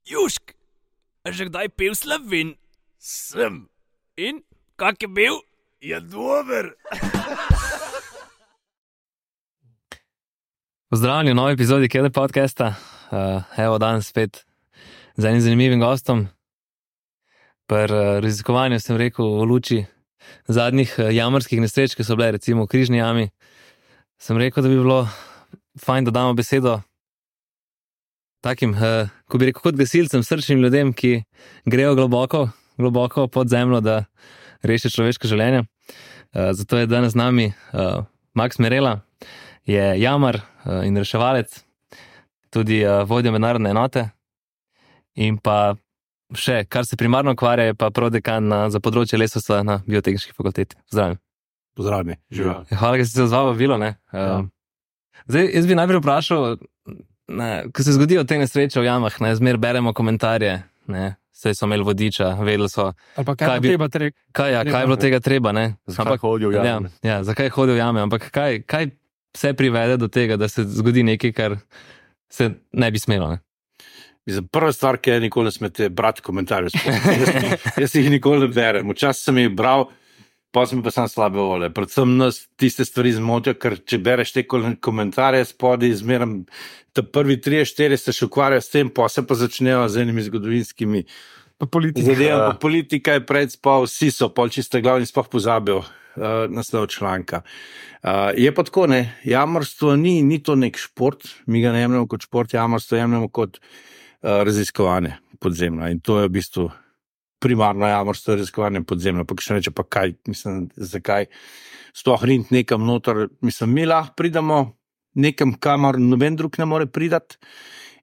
Južk, a že kdaj pil Slovin? Sem. In kak je bil? Je dober. Pozdravljeni v novi epizodi Keder podcasta. Evo danes spet z enim zanimivim gostom. Pri raziskovanju sem rekel v luči zadnjih jamarskih nesreč, ki so bile recimo v Križni jami, sem rekel, da bi bilo fajn, da damo besedo takim, ko bi rekel, kot gasilcem, srčnim ljudem, ki grejo globoko pod zemljo, da rešijo človeške življenja. Zato je danes z nami Max Merela, je jamar in reševalec, tudi vodja mednarodne enote in pa še, kar se primarno ukvarja, je pa prodekan za področje lesarstva na Biotehniški fakulteti. Zdravljen. Pozdravljeni, živijo. Hvala, da ste se odzval vabilo, ne. Zdaj, jaz bi najprej vprašal, ko se zgodijo te nesreče v jamah, ne, zmer beremo komentarje, ne, saj so imeli vodiča, vedeli so, kaj je bilo tega treba, ne. Zakaj hodijo v jame? Ja, zakaj hodijo v jame, ampak kaj vse privede do tega, da se zgodi nekaj, kar se ne bi smelo, ne. Mislim, prva stvar, ki je nikoli ne smete brati komentarjev. Jaz jih nikoli ne berem. Včasih sem jih bral, pa sem pa sam slabe volje. Predvsem nas tiste stvari zmotijo, ker če bereš te komentarje spodaj, zmeram, ta prvi 3-4 se še ukvarjajo s tem, pa se pa začnejo z enimi zgodovinskimi zadevami. Politika je predspal, vsi so pol čiste glavni, sploh pozabijo naslov članka. Je pa tako, ne, jamarstvo ni to nek šport, mi ga ne jemljamo kot šport, jamarstvo jemljamo kot raziskovanje podzemlja in to je v bistvu primarno jamarstvo, raziskovanje podzemlja. Pa še reče, pa kaj, mislim, zakaj sploh riniti nekam noter, mislim, mi lahko pridemo nekam, kamor noben drug ne more pridati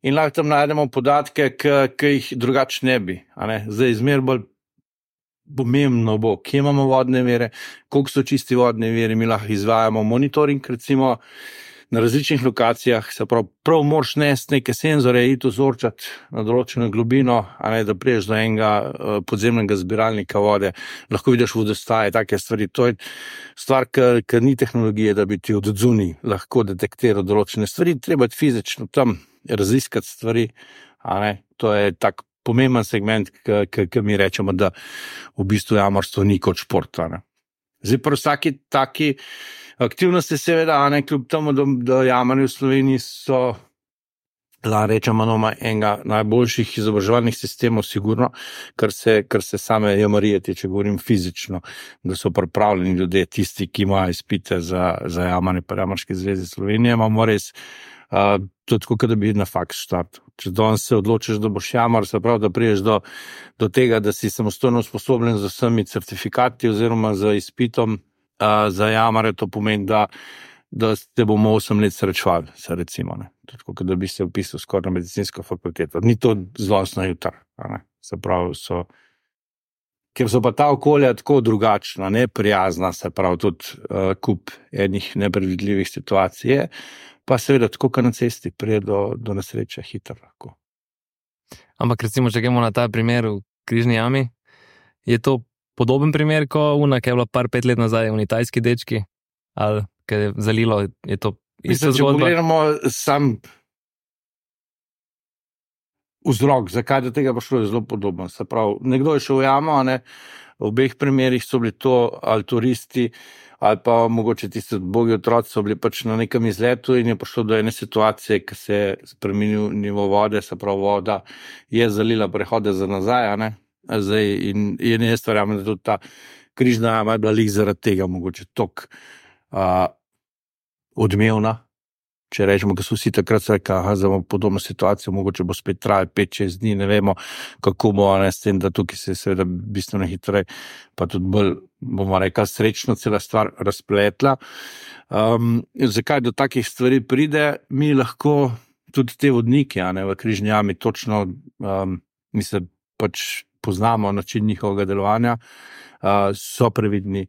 in lahko tam najdemo podatke, ki jih drugače ne bi, a ne, zdaj zmer bolj pomembno bo, kje imamo vodne vire, koliko so čisti vodne viri, mi lahko izvajamo monitoring, recimo, na različnih lokacijah, se prav moraš nesti neke senzore, iti vzorčati na določeno globino, a ne, da priješ do enega podzemnega zbiralnika vode, lahko vidiš vodostaje, take stvari. To je stvar, ki ni tehnologije, da bi ti od zunaj lahko detektiral določene stvari, treba je fizično tam raziskati stvari, a ne, to je tak pomemben segment, ki mi rečemo, da v bistvu jamarstvo ni kot šport, a ne. Zdaj pri vsaki taki aktivnosti seveda, a ne, kljub temu, da jamarji v Sloveniji so, rečemo, enega najboljših izobraževalnih sistemov, sigurno, kar se same jamarije tiče, govorim fizično, da so pripravljeni ljudje, tisti, ki imajo izpite za jamanje pri Jamarski zvezi Slovenije, imamo res to tako, da bi na faks štartil. Če danes se odločiš, da boš jamar, se pravi, da priješ do tega, da si samostojno usposobljen z vsemi certifikati oziroma z izpitom za jamare, to pomeni, da te bomo 8 let srečevali, se recimo, ne. Tako, da bi se vpisal skoraj na medicinsko fakulteto. Ni to zlostno jutar, ne. Se pravi, ker so pa ta okolja tako drugačna, neprijazna, se pravi, tudi kup enih nepredvidljivih situacij je, pa seveda tako, kot na cesti prije do nesreče hitro lahko. Ampak recimo, če gremo na ta primer v Križni jami, je to podoben primer, ko ki je bila 5 let nazaj v tajski dečki, ali ki je zalilo, je to ista zgodba? Če pogledamo sam vzrok, zakaj do tega prišlo, je zelo podobno. Se pravi, nekdo je šel v jamo, a ne, v obeh primerih so bili to ali turisti, ali pa mogoče tisti ubogi otroci so bili pač na nekem izletu in je prišlo do ene situacije, ki se je spremenil nivo vode, se pravi, voda je zalila prehode za nazaj, a ne. Zdaj, in jaz verjamem, da tudi ta Križna jama je bila lih zaradi tega mogoče toliko odmevna, če rečemo, ker so vsi takrat se rekli, za podobno situacijo, mogoče bo spet trajalo 5-6 dni, ne vemo, kako bo, ne, s tem, da tukaj se seveda bistveno hitreje, pa tudi bolj, bomo rekli, srečno cela stvar razpletla. Zakaj do takih stvari pride? Mi lahko tudi te vodnike, a ne, v Križni jami točno, mi se pač poznamo način njihovega delovanja, so previdni,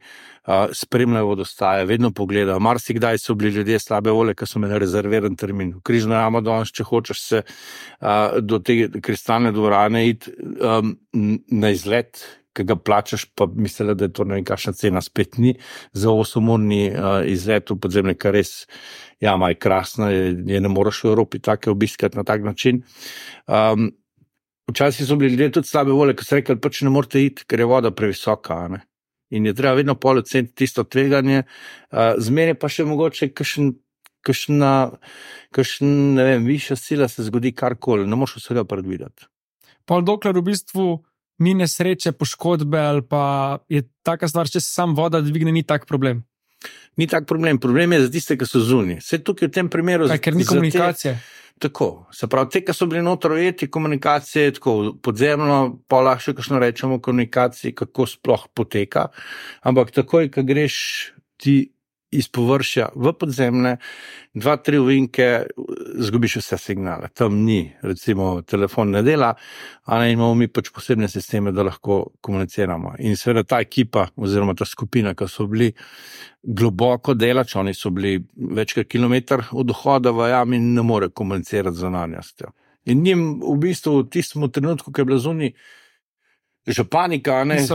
spremljajo vodostaje, vedno pogledajo. Marsikdaj so bili ljudje slabe volje, ki so imeli rezerviran termin. V Križno jamo danes, če hočeš se do te kristalne dvorane iti na izlet, ki ga plačaš, pa mislila, da je to nekakšna cena, spet ni. Za 8-urni izlet v podzemlje, kar res jama je krasna, je ne moreš v Evropi take obiskati na tak način. včasih so bili ljudje tudi slabe volje, ki so rekli, pač ne morete iti, ker je voda previsoka. Ne? In je treba vedno pol oceniti tisto tveganje, zmeraj pa še mogoče kakšna, ne vem, višja sila se zgodi karkoli, ne moreš vsega predvideti. Pol dokler v bistvu ni nesreče, poškodbe ali pa je taka stvar, če se sam voda dvigne, ni tak problem. Ni tak problem, problem je za tiste, ki so zunaj. Vse tukaj v tem primeru... Ker ni komunikacije. Tako, se pravi, te, ki so bili noter ujeti, komunikacije, tako podzemno, pa lahko še kakšno rečemo komunikaciji, kako sploh poteka, ampak takoj, ko greš ti iz površja v podzemne, 2-3 ovinke, zgubiš vse signale. Tam ni, recimo, telefon ne dela, a ne imamo mi pač posebne sisteme, da lahko komuniciramo. In seveda ta ekipa, oziroma ta skupina, ki so bili globoko delač, oni so bili večkrat kilometer od vhoda v jami in ne more komunicirati z zunanjostjo. In njim v bistvu v tistem trenutku, ko je bila zunaj že panika, oni so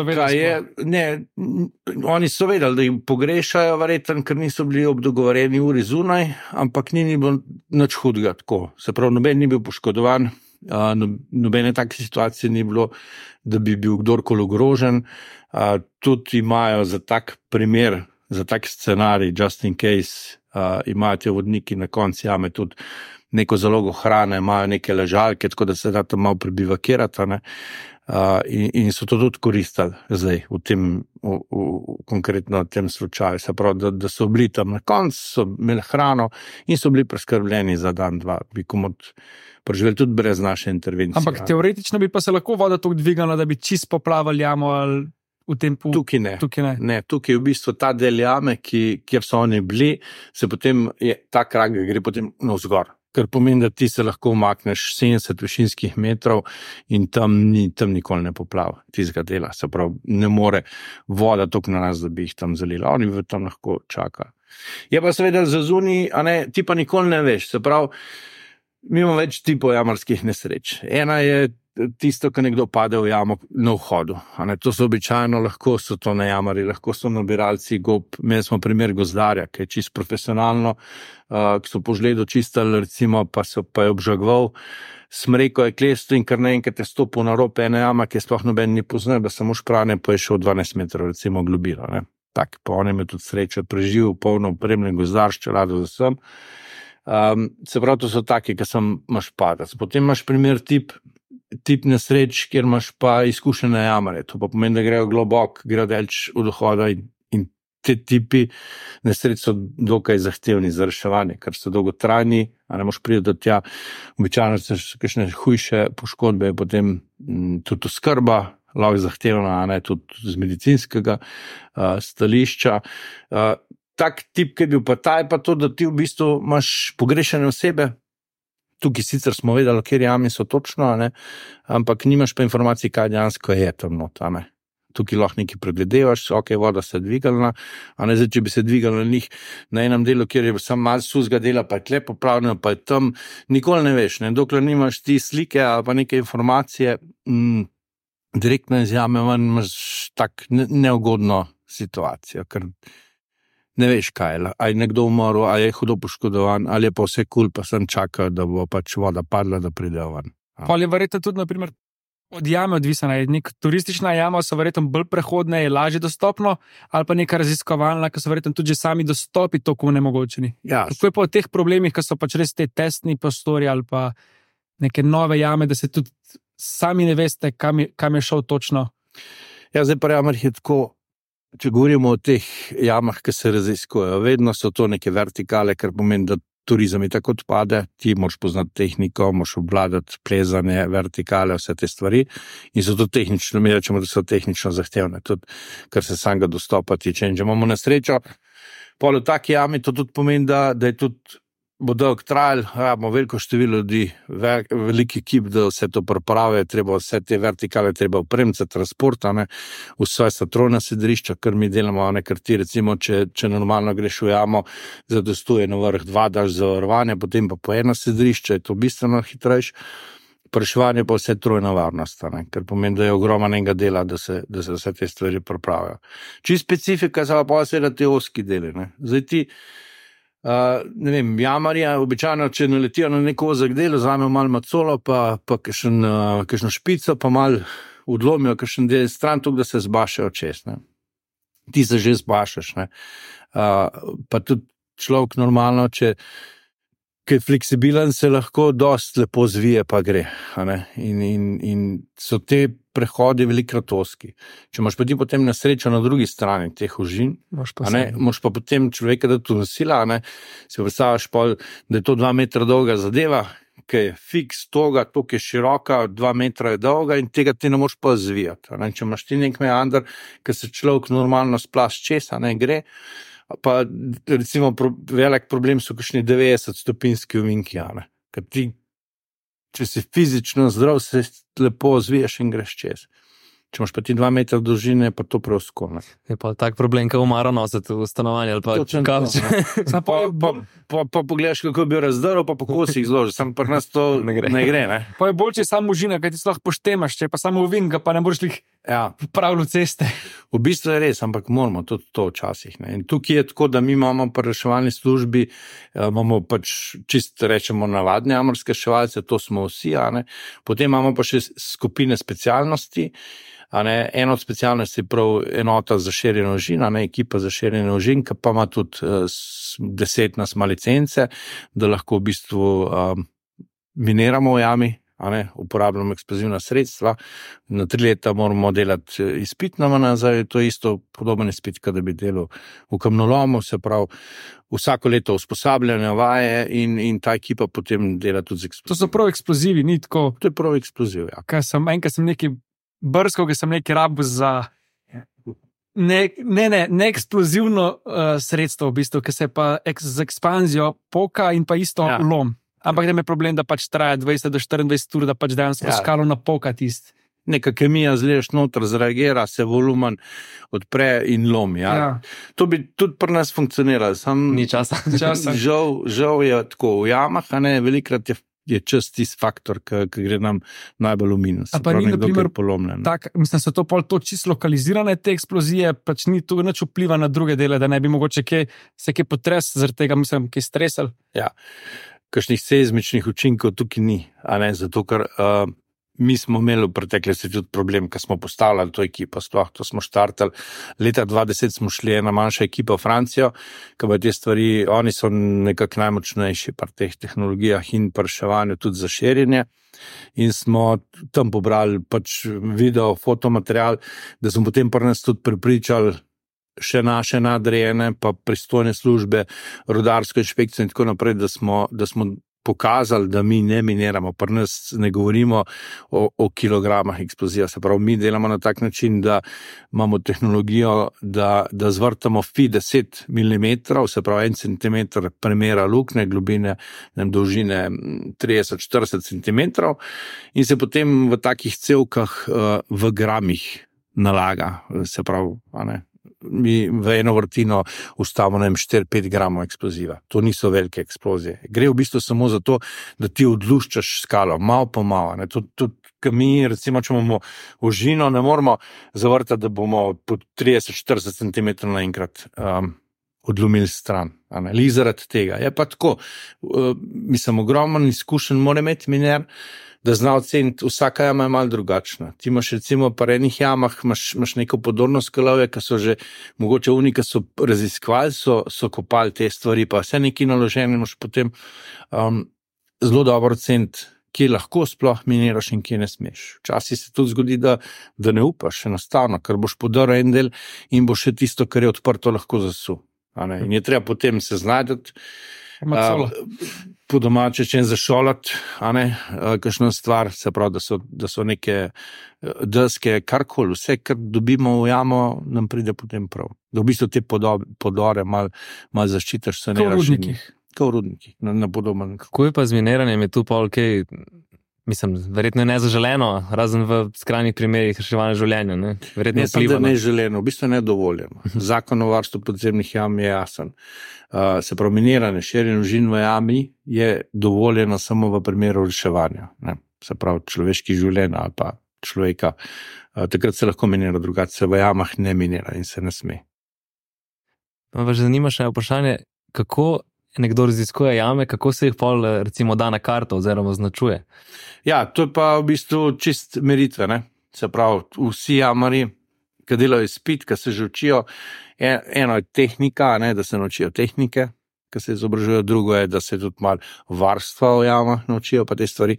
vedeli, da jih pogrešajo, verjetno, ker niso bili ob dogovorjeni uri zunaj, ampak ni bilo nič hudega tako. Se pravi, noben ni bil poškodovan, nobene take situacije ni bilo, da bi bil kdorkoli ogrožen. Tudi imajo za tak primer, za tak scenarij, just in case, imajo te vodniki na konci jame tudi neko zalogo hrane, imajo neke ležalke, tako da se da tam malo prebivakirati, ne. In so to tudi koristili zdaj konkretno v tem slučaju. Se pravi, da so bili tam na koncu, so imeli hrano in so bili preskrbljeni za dan, dva, bi komod preživeli tudi brez naše intervencije. Ampak teoretično bi pa se lahko voda tako dvigala, da bi čist poplavali jamo ali v tem Tukaj ne. Ne, tukaj je v bistvu ta del jame, kjer so oni bili, se potem ta krak gre potem navzgor. Ker pomeni, da ti se lahko umakneš 70 višinskih metrov in tam nikoli ne poplava tistega dela. Se pravi, ne more voda toliko na nas, da bi jih tam zalila. Oni tam lahko čakajo. Je pa seveda za zunaj, a ne, ti pa nikoli ne veš. Se pravi, mi imamo več tipov jamarskih nesreč. Ena je tisto, ko nekdo pade v jamo na vhodu. To so običajno, lahko so to najamari, lahko so nabiralci gob. Imeli smo primer gozdarja, ki je čisto profesionalno, ki so po žledu čistili, recimo, pa je obžagoval, smreko je klesto in kar naenkrat je stopil na rob ene jama, ki je sploh noben ni poznal, da samo šprane, pa je šel 12 metrov, recimo, globino. Tak, pa on je imel tudi srečo, preživel polno opremljen gozdar, s čelado za vsem. Se pravi, to so taki, ki imaš padec. Potem imaš primer tip nesreč, kjer imaš pa izkušene jamare. To pa pomeni, da grejo globok, grejo delč od vhoda in te tipi nesreč so dokaj zahtevni za reševanje, ker so dolgotrajni, a ne moš priti do tja. Običajno so kakšne hujše poškodbe, potem tudi oskrba, lahko zahtevna, a ne tudi z medicinskega stališča. Tak tip, ki je bil pa ta, je pa to, da ti v bistvu imaš pogrešane osebe. Tukaj sicer smo vedeli, kjer jami so točno, ne? Ampak nimaš pa informacij, kaj dejansko je tam not. Tukaj lahko nekaj pregledevaš, ok, voda se je dvigalna, a ne zdaj, če bi se dvigalna njih na enem delu, kjer je samo malo suzga dela, pa je tle poplavljeno, pa je tam, nikoli ne veš, ne? Dokler nimaš ti slike ali pa neke informacije, direktno iz jame imaš tak neugodno situacijo, ker ne veš, kaj je, ali je nekdo umrl, ali je hudo poškodovan, ali je pa vse kul, pa sem čakal, da bo pač voda padla, da pride ven. Pa je verjetno tudi, naprimer, od jame odvisna. Nek turistična jama so verjetno bolj prehodne, je lažje dostopno, ali pa neka raziskovalna, ki so verjetno tudi že sami dostopi toliko nemogočeni. Ja. Kako je pa v teh problemih, ki so pač res te testni prostori ali pa neke nove jame, da se tudi sami ne veste, kam je šel točno? Ja, zdaj pa jamar je tako. Če govorimo o teh jamah, ki se raziskujejo, vedno so to neke vertikale, ker pomeni, da turizem je tako odpade, ti moraš poznati tehniko, moraš obvladati plezanje, vertikale, vse te stvari in so to tehnično, mi rečemo, da so tehnično zahtevne, tudi kar se samega dostopa tiče. In če imamo na srečo, pol v taki jami, to tudi pomeni, da je tudi bo dolg trajal, imamo veliko število ljudi, veliki ekip, da vse to priprave, treba vse te vertikale, treba opremiti, transport, vse satrona sedrišča, kar mi delamo, ker ti recimo, če normalno greš v jamo, zadostuje na vrh 2, daš zavarovanje, potem pa po eno sedrišče, je to bistveno hitrejše, reševanje pa vse trojna varnost, ker pomeni, da je ogromnega dela, da se vse te stvari pripravijo. Či specifika, so pa seveda te oski deli, Zdaj ti ne vem, jamarja, običajno, če naletijo na neko ozek delo, vzamejo malo macolo, pa kakšno špico, pa malo odlomijo kakšen del stran, tako da se zbašajo čez. Ne. Ti se že zbašaš. Ne. Pa tudi človek normalno, če je fleksibilen, se lahko dosti lepo zvije, pa gre. In so te prehodi velikokrat ozki. Če imaš pa ti potem na srečo na drugi strani teh ožin, moš pa potem človeka dati v nosila, si predstavljaš pol, da je to 2 metra dolga zadeva, ki je fiks toga, toliko je široka, 2 metra je dolga in tega ti ne moš pa zvijati. Če imaš ti nek meander, ki se človek normalno splaš čez, gre, pa recimo velik problem so kakšni 90-stopinski ovinki, ker ti, če si fizično zdrav, se lepo zviješ in greš čez. Če imaš pa ti 2 metra dolžine, pa to preosko. Je pa tak problem, ko umaro nositi v stanovanje ali pa kavč. Pa pogledaš, kako bi razdrl, pa po kosih zloži. Sam pri nas to ne gre. Ne? Pa je bolj, če je samo užina, kaj ti lahko poštemaš, če je pa samo ovin, pa ne boš jih pravil ceste. V bistvu je res, ampak moramo tudi to včasih. Ne? In tukaj je tako, da mi imamo pri reševalni službi, imamo pač čisto rečemo navadne jamarske reševalce, to smo vsi, potem imamo pa še skupine specialnosti. Eno od specialnosti je prav enota za širjenje ožin, ekipa za širjenje ožin, ki pa ima tudi 10 nas ima licence, da lahko v bistvu miniramo v jami, uporabljamo eksplozivna sredstva. Na 3 leta moramo delati izpit na nazaj, to je isto podoben izpit, kot da bi delal v kamnolomu, se pravi vsako leto usposabljanje, vaje in ta ekipa potem dela tudi z eksplozivi. To so prav eksplozivi, ni tako? To je prav eksploziv, ja. Enkrat sem neki brskal, ki sem nekaj rabil za neeksplozivno sredstvo, v bistvu, ki se pa z ekspanzijo poka in pa isto lom. Ampak da me problem, da pač traja 20 do 24 ur, da pač dejansko skalo napoka tisti. Neka kemija zleješ noter, zreagira, se volumen odpre in lomi. To bi tudi pri nas funkcioniralo. Ni časa. Žal je tako v jamah, velikrat je čas tisti faktor, ki gre nam najbolj v minus. A pa ni, na primer, mislim, so to pol to čisto lokalizirane te eksplozije, pač ni tu nič vpliva na druge dele, da ne bi mogoče se kaj potres, zaradi tega mislim, kaj stresal. Ja, kakšnih seizmičnih učinkov tukaj ni, zato ker mi smo imeli v preteklosti tudi problem, ko smo postavljali to ekipo, sploh to smo štartali. Leta 2010 smo šli ena manjša ekipa v Francijo, ki pa te stvari, oni so nekako najmočnejši pri teh tehnologijah in pri reševanju tudi za širjenje. In smo tam pobrali pač video, fotomaterial, da smo potem pri nas tudi pripričali še naše nadrejene, pa pristojne službe, rudarsko inšpekcijo in tako naprej, da smo pokazali, da mi ne miniramo, pri nas ne govorimo o kilogramah eksplozija, se pravi, mi delamo na tak način, da imamo tehnologijo, da zvrtamo fi 10 mm, se pravi 1 cm premera lukne, globine, dolžine 30-40 cm in se potem v takih cevkah v gramih nalaga, se pravi, mi v eno vrtino ustavimo 4-5 gramov eksploziva. To niso velike eksplozije. Gre v bistvu samo za to, da ti odluščaš skalo, malo po malo. Tudi mi, recimo, če imamo ožino, ne moramo zavrtati, da bomo po 30-40 cm naenkrat odlomili stran. Zaradi tega. Je pa tako, mislim, ogromen izkušen mora imeti miner, da zna oceniti, vsaka jama je malo drugačna. Ti imaš recimo pa enih jamah, imaš neko podorno skalovje, ki so že mogoče ki so raziskovali, so kopali te stvari, pa vse neki naloženi, imaš potem zelo dobro oceniti, kje lahko sploh miniraš in kje ne smeš. Včasih se tudi zgodi, da ne upaš enostavno, ker boš podrl en del in bo še tisto, kar je odprto, lahko zasul. In je treba potem se znajdati, po domače če zašolati, kakšno stvar, se pravi, da so neke deske, karkoli, vse, kar dobimo v jamo, nam pride potem prav. Da v bistvu te podore malo zaščitaš, se ne rašenih. Kot v rudnikih, na podoben. Kako je pa z miniranjem, je tu pa okej, mislim, verjetno je nezaželeno, razen v skrajnih primerih reševanja življenja, ne? Verjetno ne samo, da je neželeno, v bistvu je nedovoljeno. Zakon o varstvu podzemnih jam je jasen. Se pravi, miniranje, širjenje ožin v jami je dovoljeno samo v primeru reševanja. Ne? Se pravi, človeških življenj ali pa človeka. Takrat se lahko minira, drugače se v jamah ne minira in se ne sme. Me pa že zanima še vprašanje, kako nekdo raziskuje jame, kako se jih pol recimo da na karto oziroma označuje? Ja, to je pa v bistvu čist meritve, ne? Se pravi, vsi jamarji, ki delajo izpit, ki se že učijo, eno je tehnika, ne, da se naučijo tehnike, ki se izobražujejo, drugo je, da se tudi malo varstva v jamah naučijo, pa te stvari.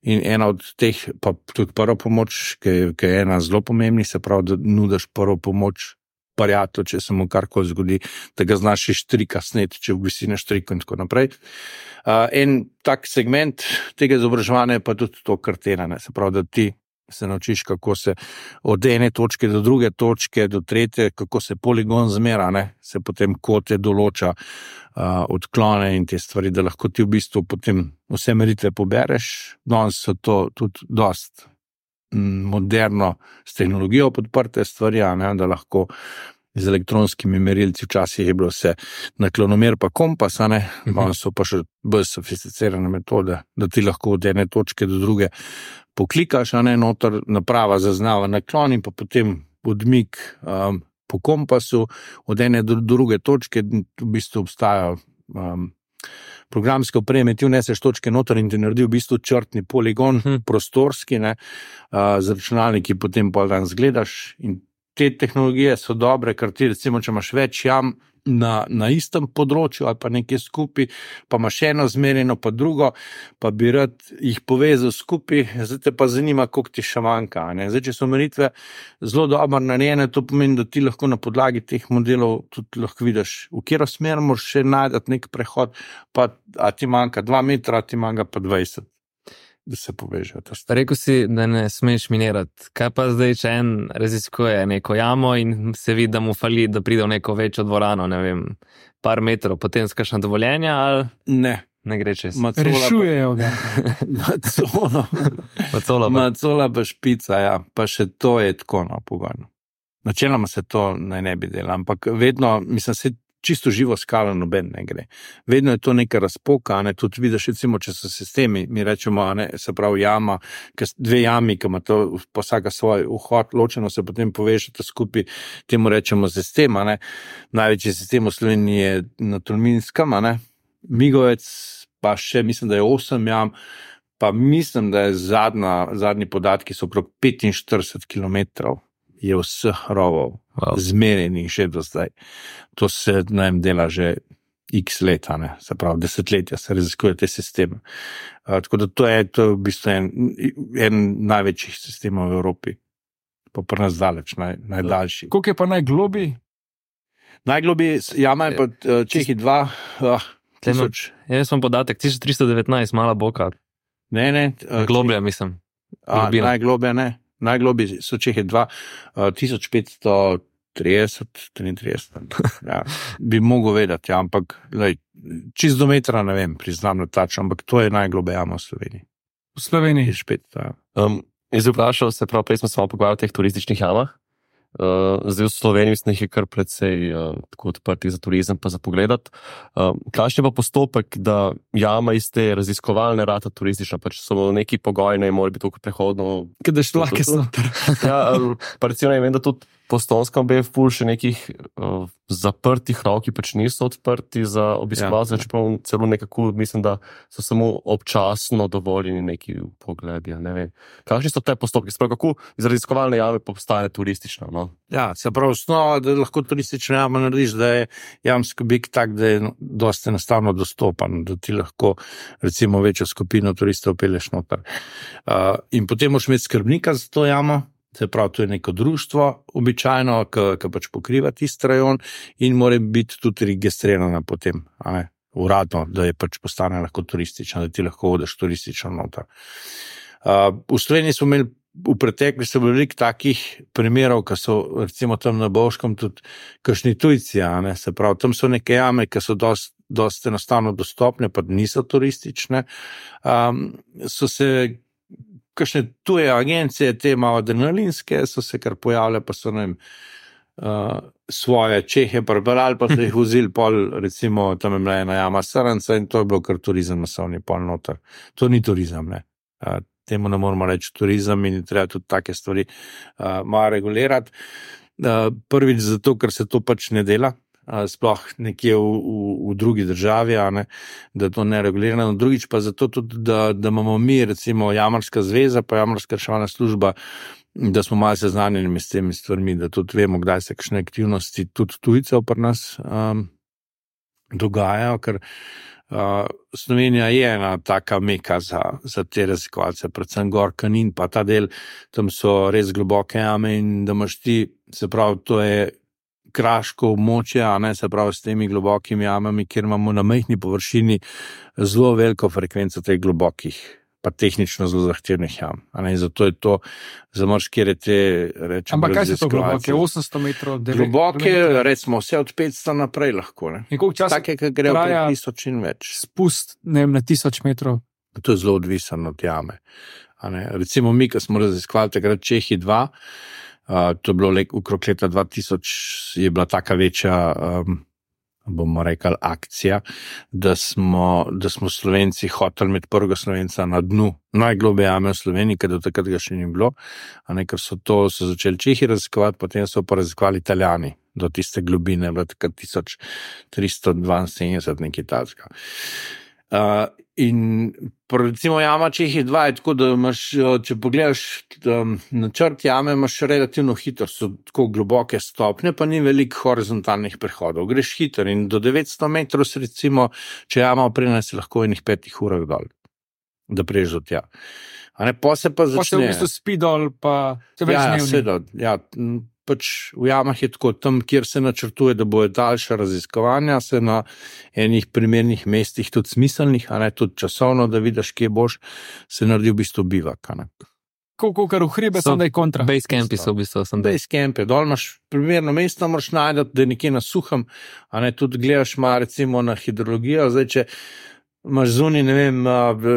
In ena od teh, pa tudi prvo pomoč, ki je ena zelo pomembna, se pravi, da nudiš prvo pomoč prijatelju, če se mu karkoli zgodi, da ga znaš iz štrika sneti, če visi na štрику in tako naprej. En tak segment tega izobraževanja je pa tudi to kartena, ne, se pravi, da ti se naučiš, kako se od ene točke do druge točke, do tretje, kako se poligon zmera, ne, se potem kote določa, odklone in te stvari, da lahko ti v bistvu potem vse meritve pobereš. Danes so to tudi dost moderno s tehnologijo podprte stvari, ne, da lahko z elektronskimi merilci, včasih je bilo vse naklonomer pa kompas, ne, danes so pa še bolj sofisticirane metode, da ti lahko od ene točke do druge poklikaš, ne, noter naprava zaznava naklon in pa potem odmik po kompasu od ene do druge točke, v bistvu obstajajo programske opreme, ti vneseš točke noter in ti naredi v bistvu črtni poligon, prostorski, ne, z računalniki potem pol dan zgledaš in te tehnologije so dobre, ker ti recimo, če imaš več jam na istem področju ali pa nekje skupaj, pa imaš eno zmerjeno pa drugo, pa bi rad jih povezal skupaj, zdaj te pa zanima, koliko ti še manjka. Ne? Zdaj, če so meritve zelo dobro narejene, to pomeni, da ti lahko na podlagi teh modelov tudi lahko vidiš, v katero smer moraš še najti nek prehod, pa a ti manjka 2 metra, a ti manjka pa 20. Da se povežejo. Rekel si, da ne smeš minirati. Kaj pa zdaj, če en raziskuje neko jamo in se vidi, da mu fali, da pride v neko večjo dvorano, ne vem, par metrov, potem skašna dovoljenja ali ne gre čez? Rešujejo ga. Macola pa špica, ja, pa še to je tako pogojno. Načeloma se to naj ne bi delalo, ampak vedno, mislim, se čisto živo skalo noben ne gre. Vedno je to neka razpoka, ne, tudi vidiš, recimo, če so sistemi, mi rečemo, ne, se pravi jama, dve jami, ki ima to vsaka svoj vhod, ločeno se potem povežete skupaj, temu rečemo sistema, ne. Največji sistem v Sloveniji je na Tolminskem, ne. Migovec pa še, mislim, da je 8 jam, pa mislim, da je zadnji podatki so okrog 45 kilometrov je vseh rovov zmerjenih že do zdaj. To se najem dela že x leta, ne, se pravi, desetletja se raziskuje te sisteme. Tako da to je v bistvu en največjih sistemov v Evropi. Pa pri nas daleč, najdaljši. Koliko je pa najglobji? Najglobji jama je pa Čehi 2 tisoč. Jaz sem podatek, 1319, mala boka. Ne. Globlja, mislim. Najglobja ne. Najglobji so Čehi 2, 1530-33. Ja, bi mogel vedeti, ja, ampak čist do metra, ne vem, priznam na tačno, ampak to je najglobja jama v Sloveniji. V Sloveniji? Jaz vprašal se prav, prej smo se malo pogovarjali o teh turističnih jamah. Zdaj v Sloveniji mislim, je kar precej tako odprti za turizem pa za pogledat. Kakšen je pa postopek, da jama iz te raziskovalne rata turistična, pač so neki pogoji, ne mora biti tako prehodno. Kada šlake so. Ja, pa recimo ne vem, da tudi po Stonskem bi ful še nekih zaprtih rov, ki pač niso odprti za obiskovalce, čeprav celo nekako mislim, da so samo občasno dovoljeni neki pogledi, ne vem. Kakšni so te postopki? Sprav, kako iz raziskovalne jame postane turistična, no? Ja, se pravi, osnova, da lahko turistična jama narediš, da je jamski objekt tak, da je dosti enostavno dostopan, da ti lahko recimo večjo skupino turistov peleš noter. In potem moraš imeti skrbnika za to jamo, se pravi, to je neko društvo, običajno, ki pač pokriva tisti rajon in mora biti tudi registrirana potem, uradno, da je pač postane lahko turistična, da ti lahko hodeš turistično noter. V Sloveniji smo imeli v preteklosti veliko takih primerov, ki so recimo tam na Bovškem tudi kakšni tujci, se pravi, tam so neke jame, ki so dosti enostavno dostopne, pa niso turistične, so se kakšne tuje agencije, te malo adrenalinske, so se kar pojavile, pa so nam svoje Čehe prebrali, pa so jih vzeli pol, recimo, tam je bila ena jama Srnca in to je bilo kar turizem masovni pol noter. To ni turizem, ne. Temu ne moramo reči turizem in treba tudi take stvari malo regulirati. Prvič zato, ker se to pač ne dela. sploh nekje v drugi državi, da to ne regulirano. Drugič pa zato tudi, da imamo mi, recimo Jamarska zveza pa Jamarska reševalna služba, da smo malo seznanjeni s temi stvarmi, da tudi vemo, kdaj se kakšne aktivnosti tudi tujcev pri nas dogajajo, ker Slovenija je ena taka meka za te raziskovalce, predvsem gor Kanin, pa ta del, tam so res globoke jame in da imaš ti, se pravi, to je kraško območje, se pravi s temi globokimi jamami, kjer imamo na majhni površini zelo veliko frekvenco teh globokih, pa tehnično zelo zahtevnih jam. Zato je to za marsikere te rečemo. Ampak kaj so to globoke? 800 metrov? Globoke, recimo vse od 500 naprej lahko. In koliko časa take, ki grejo po 1000 in več? Spust, ne vem, na 1000 metrov. To je zelo odvisno od jame. Recimo mi, ki smo raziskovali takrat Čehi 2, to je bilo okrog leta 2000, je bila taka večja bomo rekli, akcija, da smo Slovenci hoteli imeti prvega Slovenca na dnu najgloblje jame v Sloveniji, ker do takrat ga še ni bilo, ker so začeli Čehi raziskovati, potem so pa raziskovali Italijani do tiste globine, bilo takrat 1372 nekaj takega. In recimo jama Čehi 2 je tako, da imaš, če pogledaš načrt jame, imaš relativno hitro, so tako globoke stopnje, pa ni veliko horizontalnih prehodov. Greš hitro in do 900 metrov, recimo, če jama oprena, si lahko v enih 5 urah dol, da priješ do tja. Pa se pa začne. Pa se v bistvu spi dol, pa se več dnevni. Seveda, pač v jamah je tako, tam, kjer se načrtuje, da bojo daljša raziskovanja, se na enih primernih mestih tudi smiselnih, tudi časovno, da vidiš, kje boš, se naredi v bistvu bivak. Koliko kar v hribe, sem da je kontra. Base campi so v bistvu. Base campi, dol imaš primerno mesto, moraš najdati, da je nekje na suhem, tudi gledaš ma recimo na hidrologijo, zdaj, če imaš zunaj, ne vem,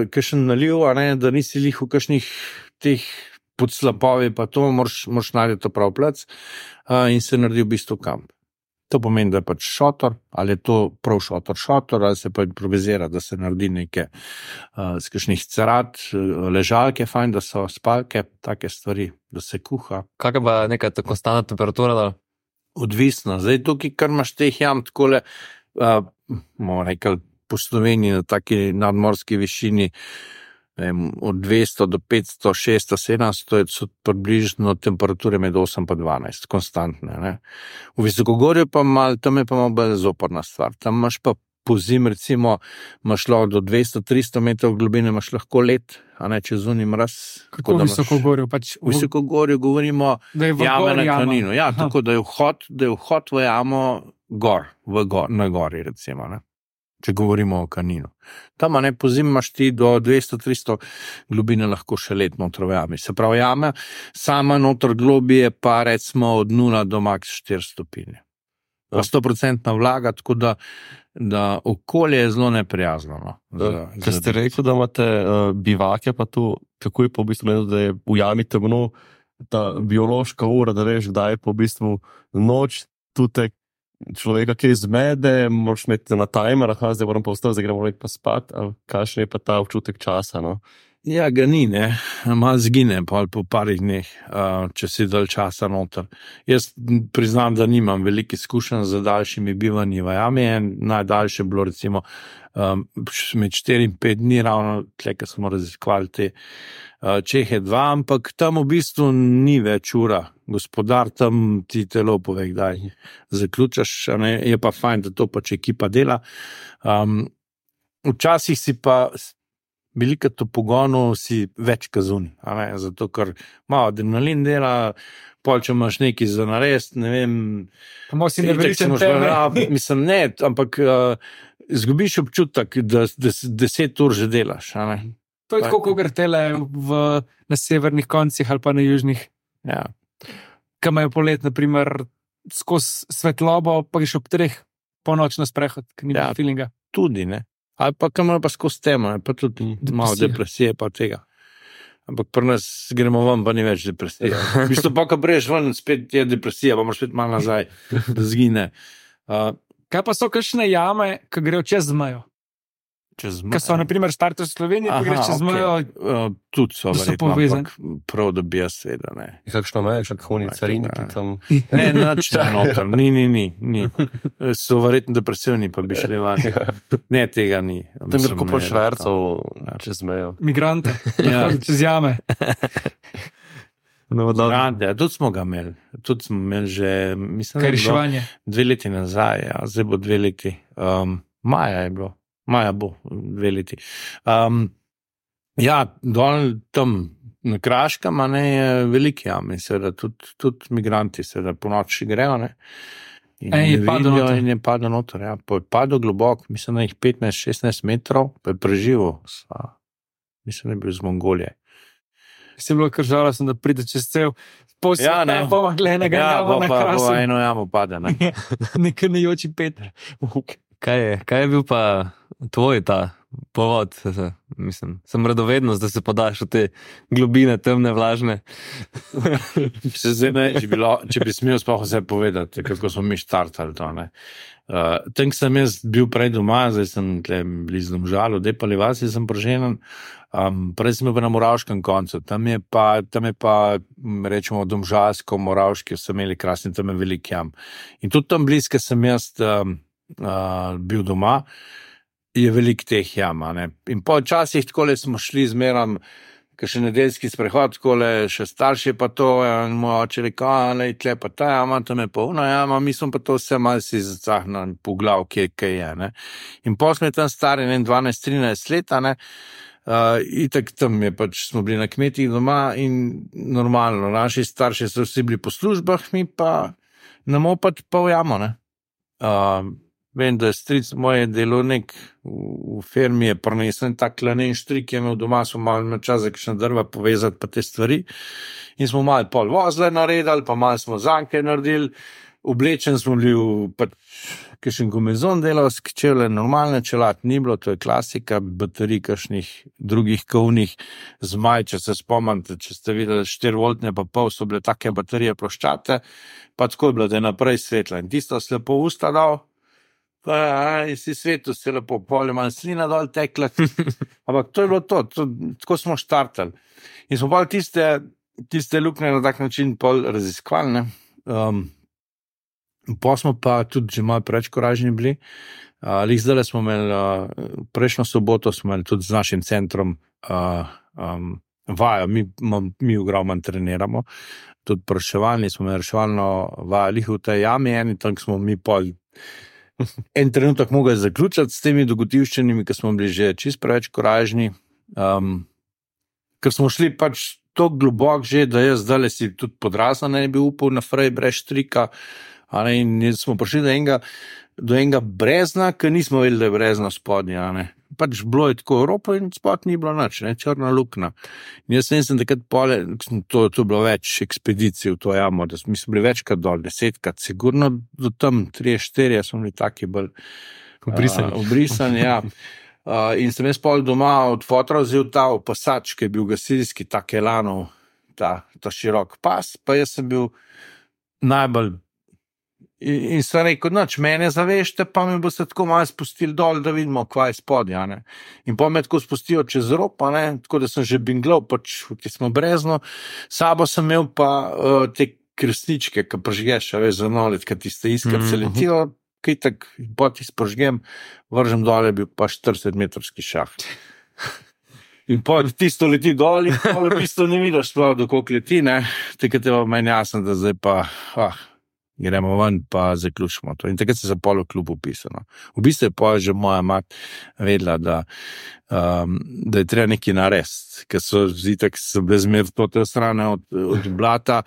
kakšen naliv, da nisi lih v kakšnih teh pod slapovi, pa to moraš najti to prav plac in se naredi v bistvu kamp. To pomeni, da je pač šotor, ali je to prav šotor, ali se pa improvizira, da se naredi neke z kakšnih cerat, ležalke, fajn, da so spalke, take stvari, da se kuha. Kakaj pa neka konstantna temperatura? Da? Odvisno. Zdaj tukaj, kar imaš teh jam, takole, bomo rekli, po Sloveniji na taki nadmorski višini, od 200 do 500, 600, 700 so približno temperature med 8 pa 12, konstantne. V visokogorju pa tam je pa malo bolj zoporna stvar. Tam imaš pa pozim, recimo, imaš lahko do 200-300 metrov globine, imaš lahko led, če zunaj mraz. Kako v visokogorju? V visokogorju govorimo jame na Kaninu. Ja, tako da je vhod v jamo gor, na gori, recimo, če govorimo o Kaninu. Tam pozim imaš ti do 200-300 globine lahko še let notro v jami. Se pravi, jama sama notr globije pa recimo od 0 do max 4 stopinje. 100% vlaga, tako da okolje je zelo neprijazno. Ker ste rekel, da imate bivake, pa tu, kako je pa v bistvu, da je v jami temno, ta biološka ura, da veš, kdaj je pa v bistvu noč, tutek, človeka, ki izmede, moraš imeti na timer, zdaj moram pa vstati, zdaj gremo pa spat, ali kakšen je pa ta občutek časa, Ja, ga ni, malo zgine po parih dneh, če si dalj časa noter. Jaz priznam, da nimam veliko izkušenj z daljšimi bivanji v jami, najdaljše bilo recimo med 4 in 5 dni, ravno tle, ko smo raziskovali te Čehe 2, ampak tam v bistvu ni več ura. Gospodar tam ti telo pove, kdaj zaključaš, je pa fajn, da to pač ekipa dela. Včasih si pa veliko pogonu si več kazuni, zato ker malo adrenalin dela, pol če imaš nekaj za narediti, ne vem, mislim ne, ampak izgubiš občutek, da 10 ur že delaš. To je tako, kot tele na severnih koncih ali pa na južnih. Ja. Kaj imajo polet, naprimer, skozi svetlobo, pa greš ob 3 ponoč na sprehod, ki ni feelinga. Tudi, ne. Ali pa kam pa skozi temo, pa tudi malo depresije pa tega. Ampak pri nas gremo ven, pa ni več depresije. V bistvu pa, ko breješ ven, spet je depresija, pa moraš spet malo nazaj, da zgine. Kaj pa so kakšne jame, ki grejo čez mejo? Čez Ker so, na primer, starter v Sloveniji, pa greš čez mejo. Tudi so Da so verjetno, povezani. ampak prav, da bi jaz seveda, ne. Kakšno meje, kakšni cariniki tam. Ne, nič ne noter, ni. So verjetno depresivni, pa bi šli van. Ne, tega ni. Tam je kupo ne, švercov Ja. čez mejo. Migrante, Ja. čez jame. No, dobro. Grande, tudi smo ga imeli. Tudi smo imeli že, mislim, Kaj da je bilo reševanje. 2 leti nazaj, ja, zdaj bo 2 leti. Maja je bilo, maja bo 2 leti. Ja, dol tam na Kraškem, a ne, je veliki jam in seveda tudi migranti seveda po noči grejo, ne. In je ne padel vidijo noter. in je padel noter, ja. Pa je padel globok, mislim, da jih 15-16 metrov, pa je preživel. Mislim, da je bil iz Mongolije. Si bilo kar žalostno, da pride čez cel posvet, Ja, ne. pa gledaj ga Ja, jamo na pa krasu. eno jamo pade, ne. Nek nejoči Peter. Kaj je bil pa tvoj ta povod? Mislim, sem radovednost, da se podaš v te globine, temne, vlažne. Zdaj, ne, če bi smel sploh vse povedati, kako smo mi štartali to. Tam sem jaz bil prej doma, zdaj sem tle blizu Domžalu, Depali vasi sem proženen. Prej sem bil na Moravškem koncu, tam je pa rečemo domžalsko, Moravški so imeli krasni, tam je velik jam. In tudi tam blizu, ker sem jaz bil doma, je velik teh jam. Ne? In po časih takole smo šli zmeram, ker še nedeljski sprehod, takole še starši pa to, in moj oče rekel, tle pa ta jama, tam je pa ona jama, mi smo pa to vse malo si zacahnali po glav, kje je. Ne? In potem smo tam stari 12-13 leta, ne? Itak tam je pač smo bili na kmetih doma in normalno, naši starši so vsi bili po službah, mi pa na moped pa v jamo, ne. Vem, da je stric moje delovnik v firmi je prinesel tak lanen štrik, je imel doma, smo malo imeli čas za kakšna drva povezati pa te stvari in smo malo pol vozle naredili, pa malo smo zanke naredili, oblečen smo bili v pač kakšen gumezon delavski čevlje, normalne čelat ni bilo, to je klasika, baterij kakšnih drugih kovnih zmaj, če se spomnite, če ste videli 4 voltne pa pol, so bile take baterije ploščate, pa tako je bilo, da je naprej svetla in tisto se lepo usta dal, in si svetu se lepo polje manj slina dol tekla, ampak to je bilo to, tako smo štartali. In smo pa tiste luknje na tak način pol raziskovali, ne. Pa smo pa tudi že malo preveč koražni bili. Lih zdaj smo imeli, prejšnjo soboto smo imeli tudi z našim centrom vajo, mi v Gravman treniramo, tudi reševalni, smo imeli reševalno vajo, lih v tej jami eni, tam smo mi pol en trenutek mogli zaključiti s temi dogodivščinami, ker smo bili že čist preveč koražni, ker smo šli pač to globok že, da jaz zdaj si tudi podrasla ne bi upal na frej brez štrika, in smo prišli do enega brezna, ker nismo vedeli, da je brezna spodnja, pač bilo je tako ropo in spod ni bilo nič, črna luknja. In jaz sem takrat pole, to je bilo več ekspedicij v to jamo, da mi smo bili večkrat dol, 10krat, sigurno do tam 3-4, smo bili taki bolj obrisani, ja. In sem jaz pol doma od fotra vzel ta opasač, ki je bil gasilski, ta Kelanov, ta širok pas, pa jaz sem bil najbolj in sem rekel, noč, mene zavešte, pa mi bo se tako malo spustili dol, da vidimo, kva je spodnja, ne. In pa me tako spustijo čez rob, tako da sem že binglal, pač, ki smo brezno, sabo sem imel pa te kresničke, ki prižgeš, veš, za nolet, ki tiste iskrice letijo, kaj tak, poti spožgem, vržem dole, bil pa 40-metrski šah. In pa tisto leti dol in pa v bistvu ne vidiš sploh, dokolič leti, ne, takrat je pa meni jasno, da zdaj pa, gremo ven, pa zaključimo to. In takrat se za polo klub upisano. V bistvu je pa že moja mat vedela, da je treba nekaj narediti, ker so zitek se bile zmer tote strane od blata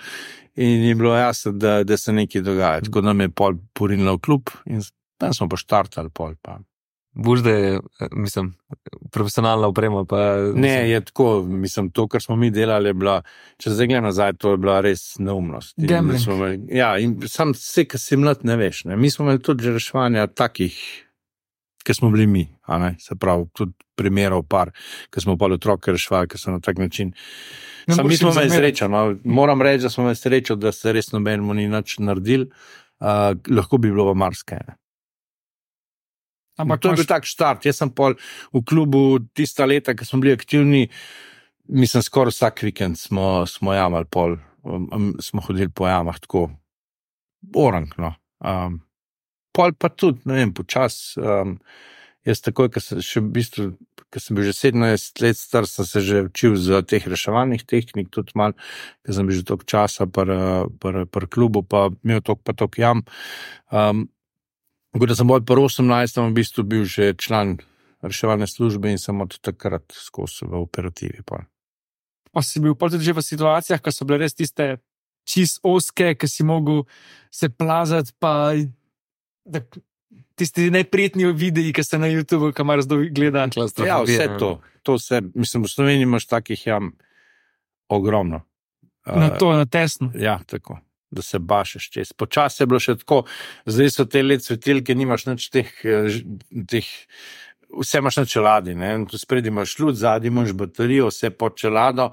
in je bilo jasno, da se nekaj dogaja. Tako da me je pol porinila v klub in tam smo pa štartali pol pa. Boš, da je, mislim, profesionalna oprema, pa... Ne, je tako, mislim, to, kar smo mi delali, je bila, če zdaj gledam nazaj, to je bila res neumnost. Gambling. Ja, in sam vse, kar si mlad, ne veš, ne. Mi smo imeli tudi že reševanja takih, ki smo bili mi, se pravi, tudi primerov par, ki smo pa otroke reševali, ki so na tak način. Sam mi smo imeli srečo, moram reči, da smo imeli srečo, da se res nobenemu ni nič naredil, lahko bi bilo v marsikaj. Ampak to je bil tak štart. Jaz sem pol v klubu tista leta, ko smo bili aktivni, mislim, skoraj vsak vikend smo jamali pol, smo hodili po jamah, tako orang, no. Pol pa tudi, ne vem, počas, jaz takoj, ko sem bil že 17 let star, sem se že učil za teh reševalnih tehnik, tudi malo, ker sem bil že toliko časa pri klubu, pa imel toliko jam. Tako da sem bolj pri 18. v bistvu bil že član reševalne službe in sem od takrat skozi v operativi. Pa si bil tudi že v situacijah, ko so bile res tiste čist oske, ki si mogel se plazati, pa tisti neprijetni videi, ki ste na YouTubeu, ki mar zdaj gleda. Ja, vse to vse, mislim, v Sloveniji imaš takih jam ogromno. Na tesno. Ja, tako. Da se bašeš čez. Počasi je bilo še tako, zdaj so te LED svetilke, nimaš nič teh, vse imaš na čeladi, ne, tu spredi imaš luč, zadnji imaš baterijo, vse pod čelado,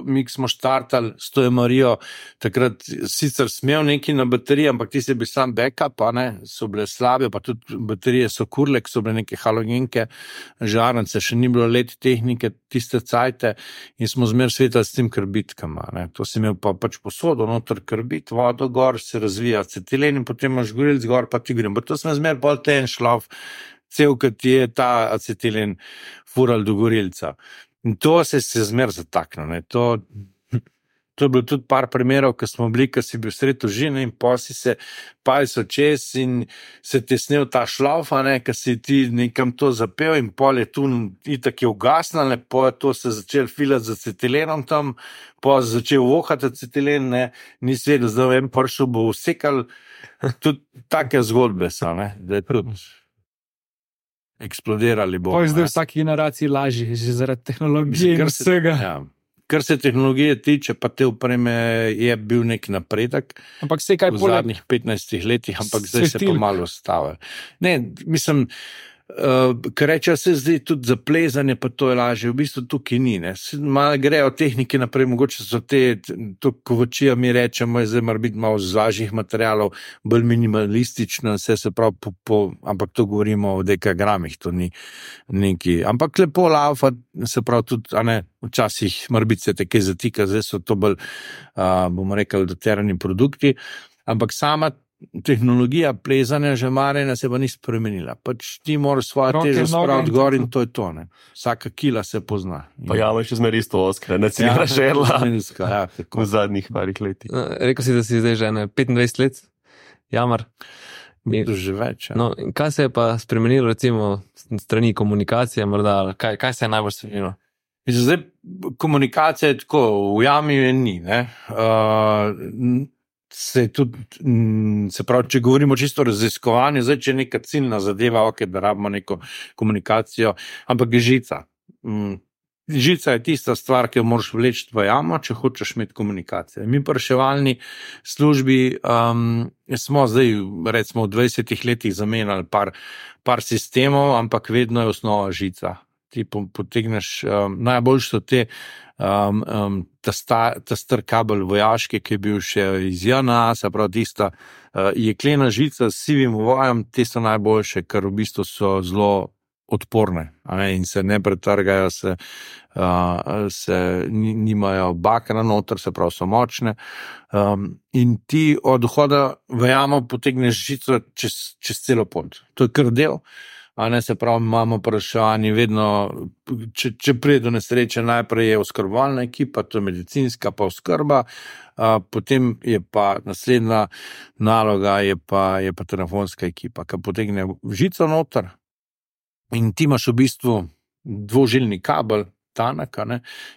mi smo štartali s to Marijo, takrat sicer smel neki na bateriji, ampak ti si bil sam backup, ne, so bile slabe, pa tudi baterije so kurle, so bile neke halogenke, žarnice, še ni bilo LED tehnike, tiste cajte in smo zmer svetali s tem krbitkama, ne, to si imel pa pač posodo, noter krbit, vodo gor, se razvija acetilen in potem imaš gorilc gor, pa ti grem, pa to smo zmer bolj ten šlov, cel, kot je ta acetilen fural do gorilca. In to se zmer zatakne. To je bilo tudi par primerov, ko smo bili, ko si bil sred užine in posi se paliso čez in se te snel ta šlauf, ko si ti nekam to zapel in pol je tu itak je ugasnal, po je to se začel filati z acetilenom tam, po je začel vohati acetilen, nisi vedel, zdaj en pršel bo vsekal. Tudi take zgodbe so, da je tudi eksplodirali bo. To je zdaj v vsaki generaciji lažje, že zaradi tehnologije in vsega. Kar se tehnologije tiče, pa te opreme je bil nek napredek ampak se kaj v zadnjih 15 letih, ampak zdaj se pa malo stavlja. Ne, mislim, kar reče se zdaj tudi za plezanje, pa to je lažje, v bistvu tukaj ni. Malo grejo tehnike naprej, mogoče so to kovačija mi rečemo, zdaj mora biti malo z lažjih materialov, bolj minimalistično, vse se pravi, ampak to govorimo o dekagramih, to ni neki. Ampak lepo laufa, se pravi tudi, včasih mora biti se te kaj zatika, zdaj so to bolj, bomo rekli, doterani produkti, ampak sama tehnologija plezanja že marjena se pa ni spremenila. Pač ti moraš svojo težo spraviti gor in to je to. Vsaka kila se pozna. Pa jama še zmeri isto oskre, ne cilja žerla v zadnjih parih letih. Rekel si, da si zdaj že 25 let jamar. To že več. No, kaj se je pa spremenilo recimo strani komunikacije, morda, kaj se je najbolj spremenilo? Zdaj, komunikacija je tako, v jami je ni, se pravi, če govorimo čisto o raziskovanju, zdaj, če je neka ciljna zadeva, da rabimo neko komunikacijo, ampak je žica. Žica je tista stvar, ki jo moraš vleči v jamo, če hočeš imeti komunikacijo. Mi pa reševalni službi smo zdaj, recimo v 20 letih zamenjali par sistemov, ampak vedno je osnova žica. Ti potegneš, najbolj so te ta star kabel vojaški, ki je bil še iz JNA, se pravi tista jeklena žica s sivim vojem, te so najboljše, ker v bistvu so zelo odporne in se ne pretrgajo, nimajo bakra noter, se pravi so močne. In ti od vhoda v jamo potegneš žico čez celo pot. To je kar del. Se pravi, imamo vprašanje vedno, če pride do nesreče, najprej je oskrbovalna ekipa, to je medicinska pa oskrba, potem je pa naslednja naloga, je pa telefonska ekipa, ki potegne žico noter in ti imaš v bistvu dvožilni kabel, tanek,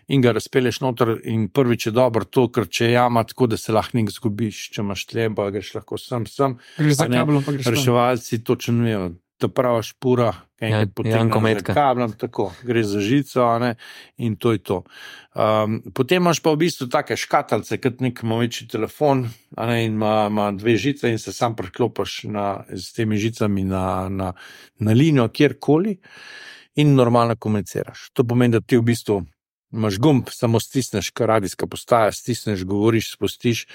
in ga razpelješ noter in prvič je dobro to, ker če je jama tako, da se lahko nek zgubiš, če imaš tleba, greš lahko sem, greš za kabelom, pa greš reševalci točno vejo, ta prava špura, kablom, tako, gre za žico, in to je to. Potem imaš pa v bistvu take škatalce, kot nek večji telefon, in ima dve žice in se sam priklopiš s temi žicami na linijo kjerkoli in normalno komuniciraš. To pomeni, da ti v bistvu imaš gumb, samo stisneš, kar radijska postaja, stisneš, govoriš, spustiš.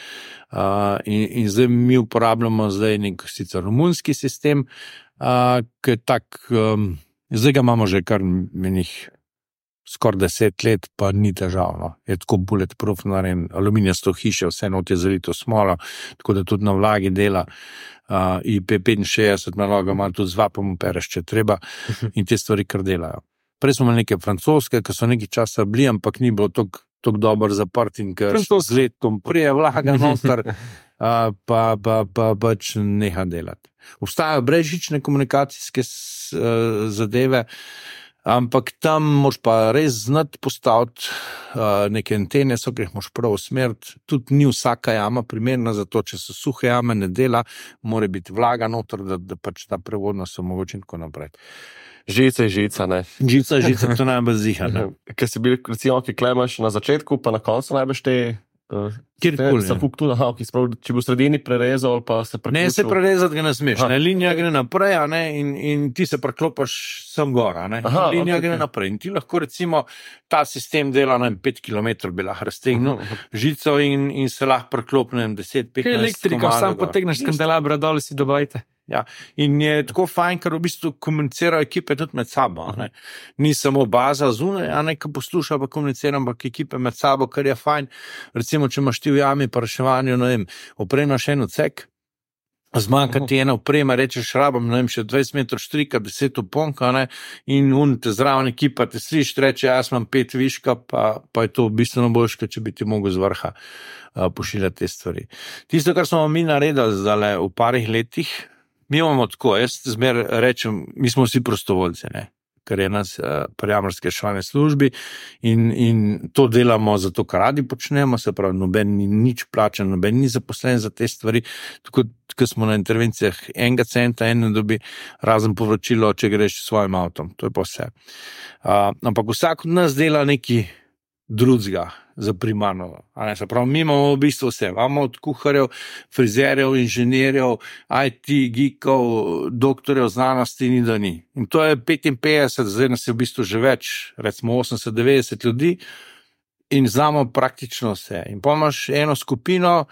In zdaj mi uporabljamo nek sicer romunski sistem, ki je tak, zdaj ga imamo že kar menih skoraj 10 let, pa ni težav. No. Je tako bulletproof narejen, aluminijasto hiše, vse not je zalito smolo, tako da tudi na vlagi dela. IP65 naloga ima tudi z vapom opereš, če treba, in te stvari kar delajo. Prej smo imeli neke francoske, ki so nekaj časa bili, ampak ni bilo tako dobro zaprt in ker z letom prije vlaga noter, pa pač neha delati. Obstajajo brezžične komunikacijske zadeve, ampak tam moš pa res znati postaviti neke antene, ki jih moš prav usmeriti. Tudi ni vsaka jama primerna za to, če se suhe jame ne dela, mora biti vlaga noter, da pač ta prevodnost omogoči in tako naprej. Žica je žica, ne? Žica, to najbolj ziha, ne? Ker si bil, recimo, ki klemaš na začetku, pa na koncu najbolj te... Kjerkoli, če bi v sredini prerezal, pa se preključil. Ne, se prerezati ga ne smeš, ne? Linija gre naprej, ne? In ti se preklopaš sem gora, ne? Linija gre naprej. In ti lahko recimo ta sistem dela na 5 km bi lahko raztegnil žico in se lahko preklopne 10-15 km. Elektriko, sam potegneš s kandelabra dol, si dobajte. Ja, in je tako fajn, ker v bistvu komunicirajo ekipe tudi med sabo. Ne? Ni samo baza zunaj, ki posluša, pa komunicira, ampak ekipe med sabo, kar je fajn. Recimo, če imaš ti v jami pa reševanju, ne vem, opremaš en odsek, zmanjka ti ena oprema, rečeš, rabam, ne vem, še 20 metrov štrika, 10 oponka, ne, in te zraven ekipa te sliš, reče, jaz imam 5 viška, pa je to bistveno boljše, če bi ti mogel z vrha pošiljati te stvari. Tisto, kar smo mi naredili zdaj v parih letih, mi imamo tako, jaz zmer rečem, mi smo vsi prostovoljci, ne, ker je nas pri jamarski reševalni službi in to delamo zato, kar radi počnemo, se pravi, noben ni nič plačen, noben ni zaposlen za te stvari, tako, ko smo na intervencijah 1 centa, ne dobi, razen povračilo, če greš s svojim avtom, to je pa vse. Ampak vsak od nas dela neki drugega za primarno. Se pravi, mi imamo v bistvu vse. Imamo od kuharjev, frizerjev, inženirjev, IT, geekov, doktorjev znanosti, ni da ni. In to je 55, zdaj nas je v bistvu že več, recimo 80-90 ljudi in znamo praktično vse. In pa imaš eno skupino,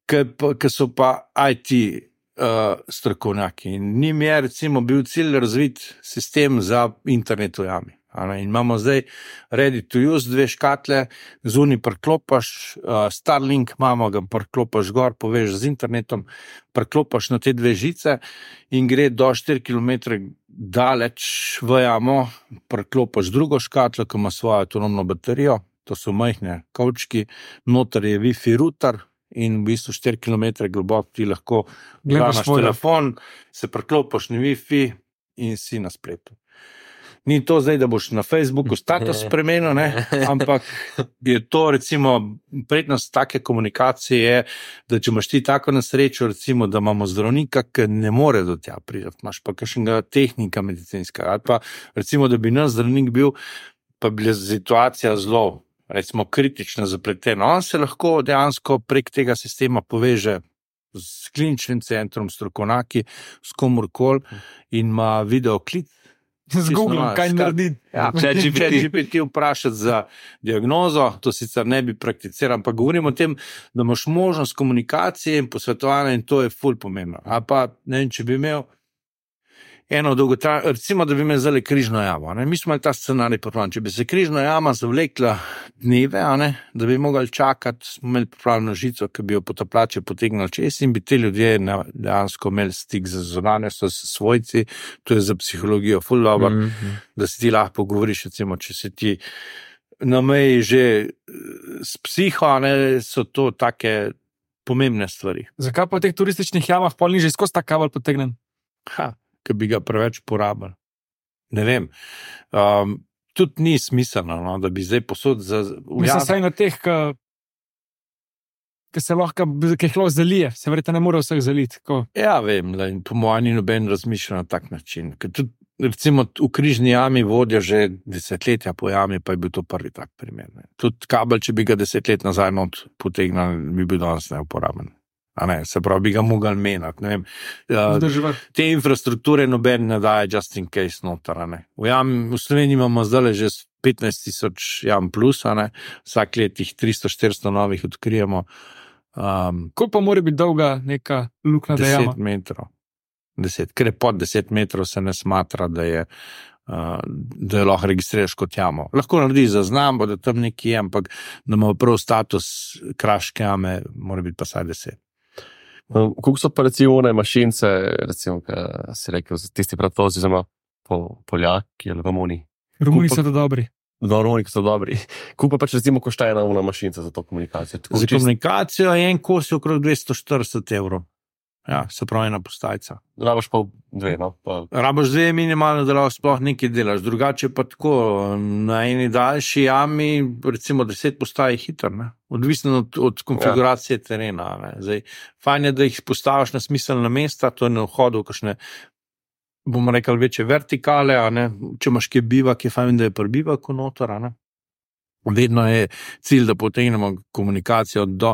ki so pa IT strokovnjaki. In njim je recimo bil cilj razviti sistem za internet v jami. In imamo zdaj ready to use 2 škatle, zunaj preklopaš, Starlink imamo, ga preklopaš gor, povežeš z internetom, preklopaš na te 2 žice in gre do 4 km daleč v jamo, preklopaš drugo škatlo, ki ima svojo avtonomno baterijo, to so majhne kavčki, noter je Wi-Fi router in v bistvu 4 km globok ti lahko gledaš telefon, se preklopaš na Wi-Fi in si na spletu. Ni to zdaj, da boš na Facebooku status spremenil, ne? Ampak je to recimo prednost take komunikacije je, da če imaš ti tako nesrečo, recimo, da imamo zdravnika, ki ne more do tja priti, imaš pa kakšnega tehnika medicinskega, ali pa recimo, da bi naš zdravnik bil, pa bila situacija zelo, recimo, kritična, zapletena. On se lahko dejansko prek tega sistema poveže s kliničnim centrom, strokovnjaki, s komorkoli in ima videoklic. Z Google, kaj narediti. Ja, če GPT vprašati za diagnozo, to sicer ne bi prakticiral, ampak govorimo o tem, da imaš možnost komunikacije in posvetovanja in to je ful pomembno. A pa, ne vem, če bi imel eno dolgotrajno, recimo, da bi imel zdaj križno jamo. Ne? Mi smo imeli ta scenarij popravljen. Če bi se križna jama zavlekla dneve, da bi mogli čakati, smo imeli pripravljeno žico, ki bi jo potapljače potegnili čez in bi te ljudje dejansko imeli stik z zunanjostjo, s svojci, to je za psihologijo ful dobro, da si ti lahko pogovoriš, recimo, če se ti na meji že s psiho, so to take pomembne stvari. Zakaj pa v teh turističnih jamah pol ni že skozi ta kabel potegnen? Ki bi ga preveč porabili. Ne vem. Tudi ni smiselno, da bi zdaj posod za... Mislim, saj na teh, ki se lahko zalije, se verjetno ne more vseh zaliti. Ja, vem, po mojem ni noben razmišlja na tak način. Ker tudi, recimo, v križni jami vodijo že desetletja po jami, pa je bil to prvi tak primer. Tudi kabel, če bi ga 10 let nazaj not potegnal, bi bil danes neuporaben. Se pravi, bi ga mogli menjati. Te infrastrukture noben ne daje just in case noter. V Sloveniji imamo zdaj že 15,000 jam plus, vsak let jih 300-400 novih odkrijemo. Koliko pa mora biti dolga neka luknja 10 metrov. 10, ker je pod 10 metrov se ne smatra, da je lahko registriraš kot jamo. Lahko naredi zaznam, da tam nekje je, ampak da ima prav status kraške jame, mora biti pa saj 10. Koliko so pa recimo mašince, recimo, kaj si rekel, tisti pratozi, oziroma Poljaki ali Romuni? Romuni so to dobri. No, Romuni so dobri. Koliko pa pač recimo košta ena mašinca za to komunikacijo? Za komunikacijo je en kos okrog 240 evrov. Ja, se pravi ena postajca. Rabaš pa dve, no? Rabaš dve minimalno, da lahko sploh nekaj delaš. Drugače pa tako, na eni daljši jami, recimo 10 postaj hitro, ne? Odvisno od konfiguracije terena. Ne? Zdaj, fajn je, da jih postaviš na smiselna mesta, to je na vhodu, kakšne, bomo rekli, večje vertikale, a ne? Če imaš kje bivak, je fajn, da je prbivak v notor, a ne? Vedno je cilj, da potegnemo komunikacijo do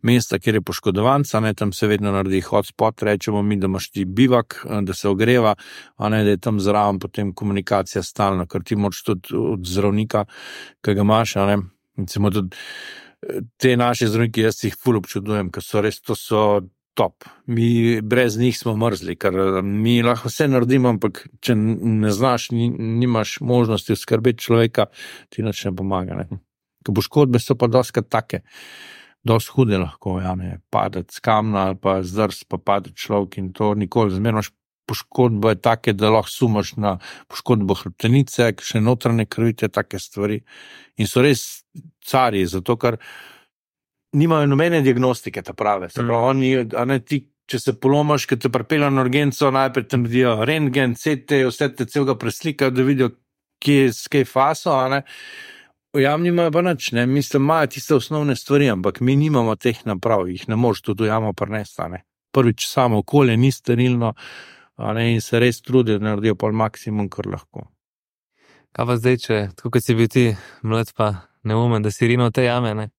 mesta, kjer je poškodovanca, tam se vedno naredi hotspot, rečemo mi, da imaš ti bivak, da se ogreva, a ne, da je tam zraven potem komunikacija stalna, ker ti moraš tudi od zdravnika, ki ga imaš, a ne, recimo tudi te naše zdravniki, jaz jih ful občudujem, ker so res, to so top. Mi brez njih smo mrzli, ker mi lahko vse naredimo, ampak če ne znaš, nimaš možnosti oskrbeti človeka, ti nič ne pomaga. Ne? Ko poškodbe so pa doskrat take, dosti hude lahko, ja, ne, padeti z kamna ali pa zdrs, pa padeti človek in to nikoli. Zmerno poškodbo je take, da lahko sumaš na poškodbo hrbtenice, še notranje krvite, take stvari. In so res carji, zato ker nimajo nobene diagnostike, ta prave. Se pravi, oni, a ne, ti, če se polomaš, ki te pripelja na urgenco, najprej tam vidijo rentgen, CT, vse te celega preslikajo, da vidijo, kje faso, a ne. V jami nimajo pa nič, ne. Mislim, imajo tiste osnovne stvari, ampak mi nimamo teh naprav, jih ne moreš tudi v jamo prinesti, a ne. Prvič, samo okolje ni sterilno, a ne, in se res trudijo, da naredijo pol maksimum, kar lahko. Kaj pa zdaj, če, tako kot si bil ti mlad pa neumen, da si rinil te jame, ne?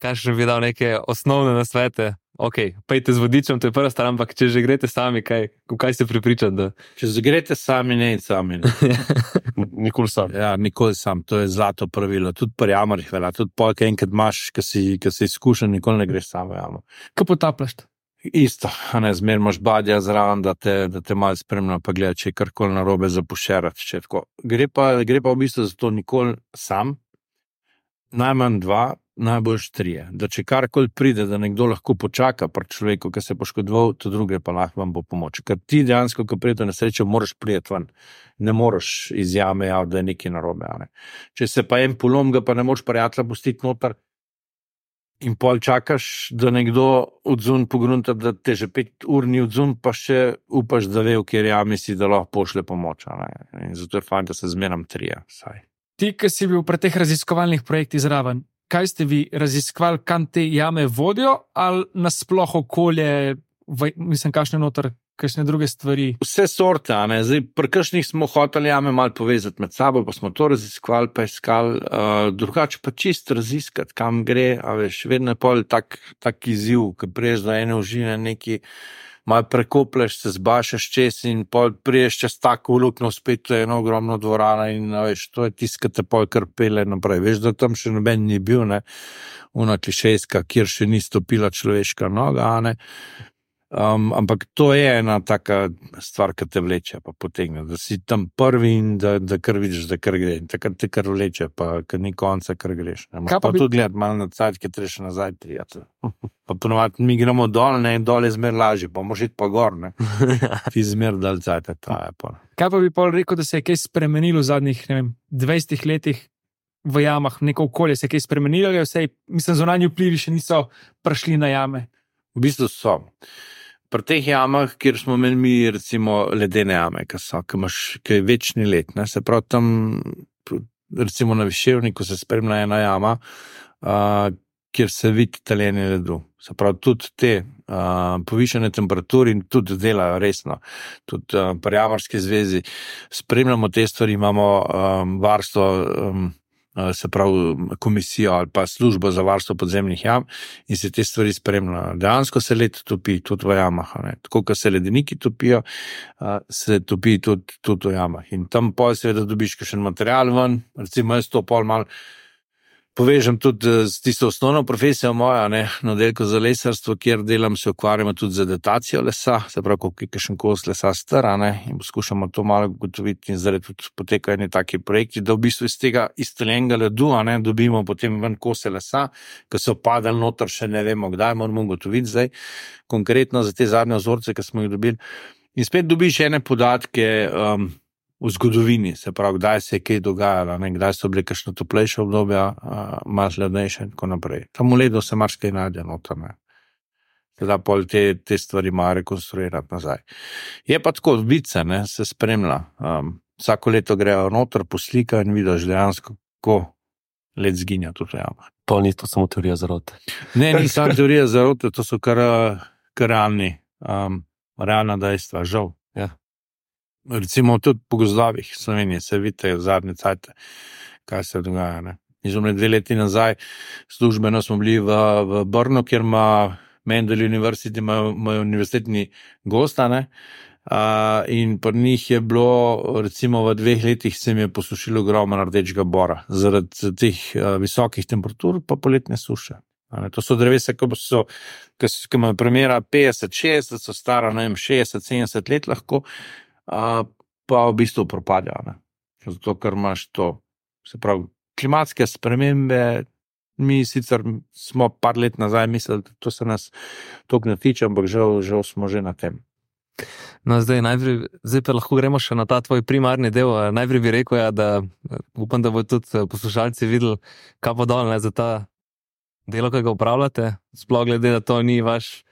Kaj še bi dal neke osnovne nasvete? Ok, pejte z vodičem, to je prva stvar, ampak če že greste sami, kaj ste pripričani? Da... Če že greste sami, ne sami. Ne. Nikoli sam. Ja, nikoli sam, to je zlato pravilo. Tudi pri jamarjih velja, tudi polk enkrat imaš, ki si izkušen, nikoli ne greš samo jamo. Kaj potapljaš? Isto, a ne, zmer imaš badja zraven, da te malo spremlja, pa gleda, če je karkoli narobe zapušerati, če tako. Gre pa v bistvu za to nikoli sam, najmanj 2, najboljš 3. Da če karkoli pride, da nekdo lahko počaka pri človeku, ki se je poškodoval, to druge pa lahko vam bo pomoč. Ker ti dejansko, ko pride na srečo, moraš priti ven. Ne moreš iz jame javiti, da je nekaj narobe. Ne? Če se pa en polom, ga pa ne moreš prijatelja pustiti noter in pol čakaš, da nekdo odzun pogrunta, da te že 5 ur ni odzun, pa še upaš, da ve, v kjer jami si, da lahko pošle pomoč. In zato je fajn, da se zmeram 3. Vsaj. Ti, ki si bil pri teh raziskovalnih projektih zraven, kaj ste vi raziskovali, kam te jame vodijo, ali nasploh okolje, mislim, kakšne noter, kakšne druge stvari? Vse sorte, a ne. Zdaj, pri kakšnih smo hoteli jame malo povezati med sabo, pa smo to raziskovali, pa iskali, drugače pa čist raziskati, kam gre, a veš, vedno je pol tak izziv, ki priješ do ene užine neki, malo prekopleš, se zbašaš čez in pol priješ čez tako luknjo, spet to je eno ogromno dvorana in veš, to je tisto, ki te pol kar pele naprej. Veš, da tam še noben ni bil, ne, ona klišejska, kjer še ni stopila človeška noga, ne. Ampak to je ena taka stvar, ki te vleče, pa potegne, da si tam prvi in da kar vidiš, da kar gre. Takrat te kar vleče, pa kad ni konca, kar greš. Pa tudi gledati malo na cajt, ki treba še nazaj prijati. Pa ponovati, mi gremo dol, ne, in dol je zmer lažje, pa moraš iti pa gor, ne. Ti zmer dal cajt, traje pa. Kaj pa bi pol rekel, da se je kaj spremenilo v zadnjih, ne vem, 20 letih v jamah, neko okolje se je kaj spremenilo, ali vse, mislim, zunanji vplivi še niso prišli na jame? V bistvu so. Pri teh jamah, kjer smo imeli mi, recimo, ledene jame, ki je večni led, ne, se pravi tam, recimo na Viševniku se spremlja ena jama, kjer se vidi taljenje ledu. Se pravi, tudi te povišene temperature in tudi delajo resno. Tudi pri Jamarski zvezi spremljamo te stvari, imamo varstvo se pravi komisijo ali pa službo za varstvo podzemnih jam in se te stvari spremljajo. Dejansko se led topi tudi v jamah, ne. Tako, kot se ledeniki topijo, se topi tudi v jamah. In tam pol seveda dobiš kakšen material ven, recimo jaz to pol malo povežem tudi z tisto osnovno profesijo mojo, ne, na oddelku za lesarstvo, kjer delam, se ukvarjamo tudi z datacijo lesa, se pravi, koliko je kakšen kos lesa star, ne, in poskušamo to malo ugotoviti in zdaj tudi potekajo eni taki projekti, da v bistvu iz tega izstreljenega ledu, ne, dobimo potem ven kose lesa, ki so padali noter, še ne vemo kdaj, moramo ugotoviti zdaj, konkretno za te zadnje vzorce, ki smo jih dobili. In spet dobiš ene podatke, v zgodovini, se pravi, kdaj se je kaj dogajalo, ne, kdaj so bile kakšne toplejše obdobja, malo hladnejše in tako naprej. Tam v ledu se marsikaj najde noter, ne. Da pol te stvari malo rekonstruirati nazaj. Je pa tako, vice, ne, se spremlja. Vsako leto grejo noter, poslikajo in vidiš dejansko, kako led zginja tudi v jamah. Pa ni to samo teorija zarote. Ne, ni samo teorija zarote, to so kar realna dejstva, žal. Ja. Recimo tudi po gozdovih Slovenije se vidite v zadnje cajte, kaj se dogaja. Ne. Izumne 2 leti nazaj službeno smo bili v Brnu, kjer ima Mendel University, imajo univerzitetni gosta, ne. In pri njih je bilo, recimo v 2 letih se mi je posušilo ogromno rdečega bora, zaradi teh visokih temperatur pa poletne suše. To so drevesa, ki imajo premera 50-60, so stara, ne vem, 60-70 let lahko, pa v bistvu propadajo, ne. Zato, ker imaš to, se pravi, klimatske spremembe, mi sicer smo par let nazaj mislili, da to se nas toliko ne tiče, ampak žal smo že na tem. No, zdaj pa lahko gremo še na ta tvoj primarni del. Najprej bi rekel, da upam, da bo tudi poslušalci videli, kaj pa dol, ne, za ta delo, ki ga upravljate, sploh glede, da to ni vaš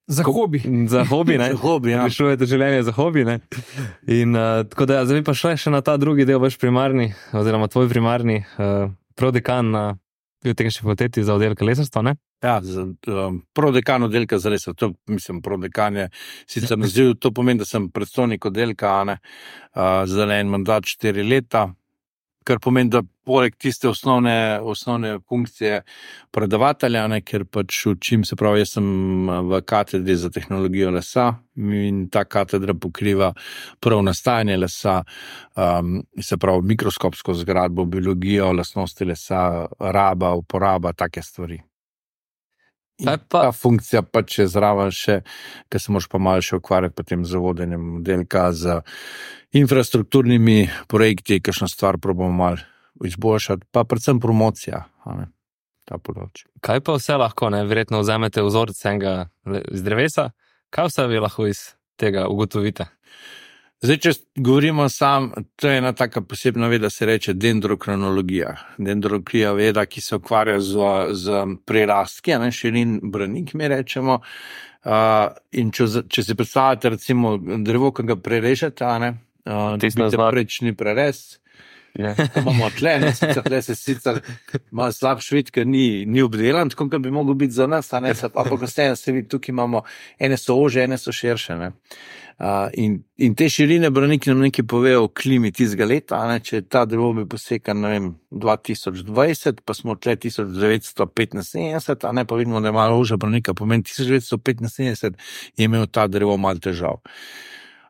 Za hobi. Za hobi, ne? Za hobi, ja. Rešujete življenje za hobi, ne? In tako da, zdaj pa še na ta drugi del, vaš primarni, oziroma tvoj primarni prodekan na Biotehnični fakulteti za oddelek lesarstva, ne? Ja, prodekan oddelka za lesarstvo, to mislim, prodekan je sicer naziv, to pomeni, da sem predstojnik oddelka, ne, za en mandat 4 leta, kar pomeni, da poleg tiste osnovne funkcije predavatelja, ne, ker pač učim, se pravi, jaz sem v katedri za tehnologijo lesa in ta katedra pokriva prav nastajanje lesa, se pravi, mikroskopsko zgradbo, biologijo, lastnosti lesa, raba, uporaba, take stvari. In ta funkcija pač je zraven še, ker se moraš pa malo še ukvarjati potem z vodenjem oddelka, z infrastrukturnimi projekti, kakšno stvar probamo malo izboljšati, pa predvsem promocija, ne, ta področje. Kaj pa vse lahko, ne, verjetno vzamete vzorec enega iz drevesa, kaj vse vi lahko iz tega ugotovite? Zdaj, če govorimo to je ena taka posebna veda, se reče dendrokronologija. Dendrokronologija veda, ki se ukvarja z prirastki, ne, širin branik, mi rečemo. In če si predstavljate recimo drevo, ki ga prerežete, ne, dobite prečni prerez, imamo tle, ne, tle se sicer malo slab švit, ker ni obdelan, tako kot bi mogel biti za nas, ne, pa pogosteje se vidi, tukaj imamo, ene so ože, ene so širše, ne. In te širine braniki nam nekaj povejo o klimi tistega leta, ne, če je ta drevo bi posekan, ne vem, 2020, pa smo tle 1975, ne, pa vidimo, da je malo ožja branika, pomeni 1975 je imel ta drevo malo težav.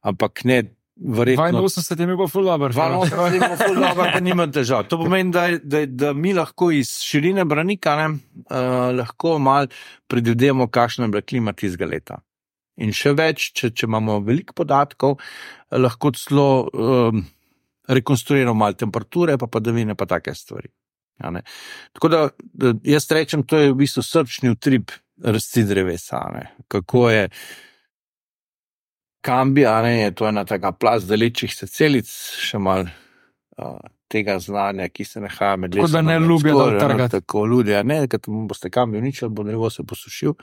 Ampak ne, verjetno 82 je imel pa ful dober. 82 je imel ful dober, da nima težav. To pomeni, da mi lahko iz širine branika, ne, lahko malo predvidimo, kakšna je bila klima tistega leta. In še več, če imamo veliko podatkov, lahko celo rekonstruiramo malo temperature, pa padavine, pa take stvari. Ja, ne. Tako da jaz rečem, to je v bistvu srčni utrip rasti drevesa, ne. Kako je kambi, je to ena taka plast delečih se celic, še malo tega znanja, ki se nahaja med lesom. Tako da ne ljubijo dol trgati. Tako ljudje, ne, ker boste kambi uničili, bo drevo se posušil.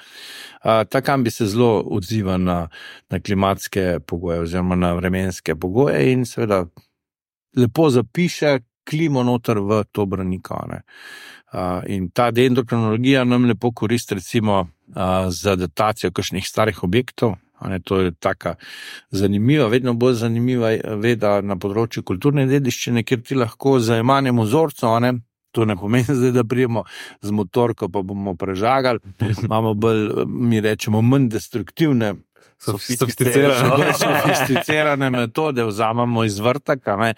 Ta kambi se zelo odziva na klimatske pogoje oziroma na vremenske pogoje in seveda lepo zapiše klimo noter v to braniko, ne. In ta dendrokronologija nam lepo koristi recimo za datacijo kakšnih starih objektov. To je taka zanimiva, vedno bolj zanimiva veda na področju kulturne dediščine, kjer ti lahko z jemanjem vzorcev To ne pomeni zdaj, da prijemo z motorko, pa bomo prežagali. Imamo bolj, mi rečemo, manj destruktivne, sofisticirane metode, vzamemo iz vrtaka,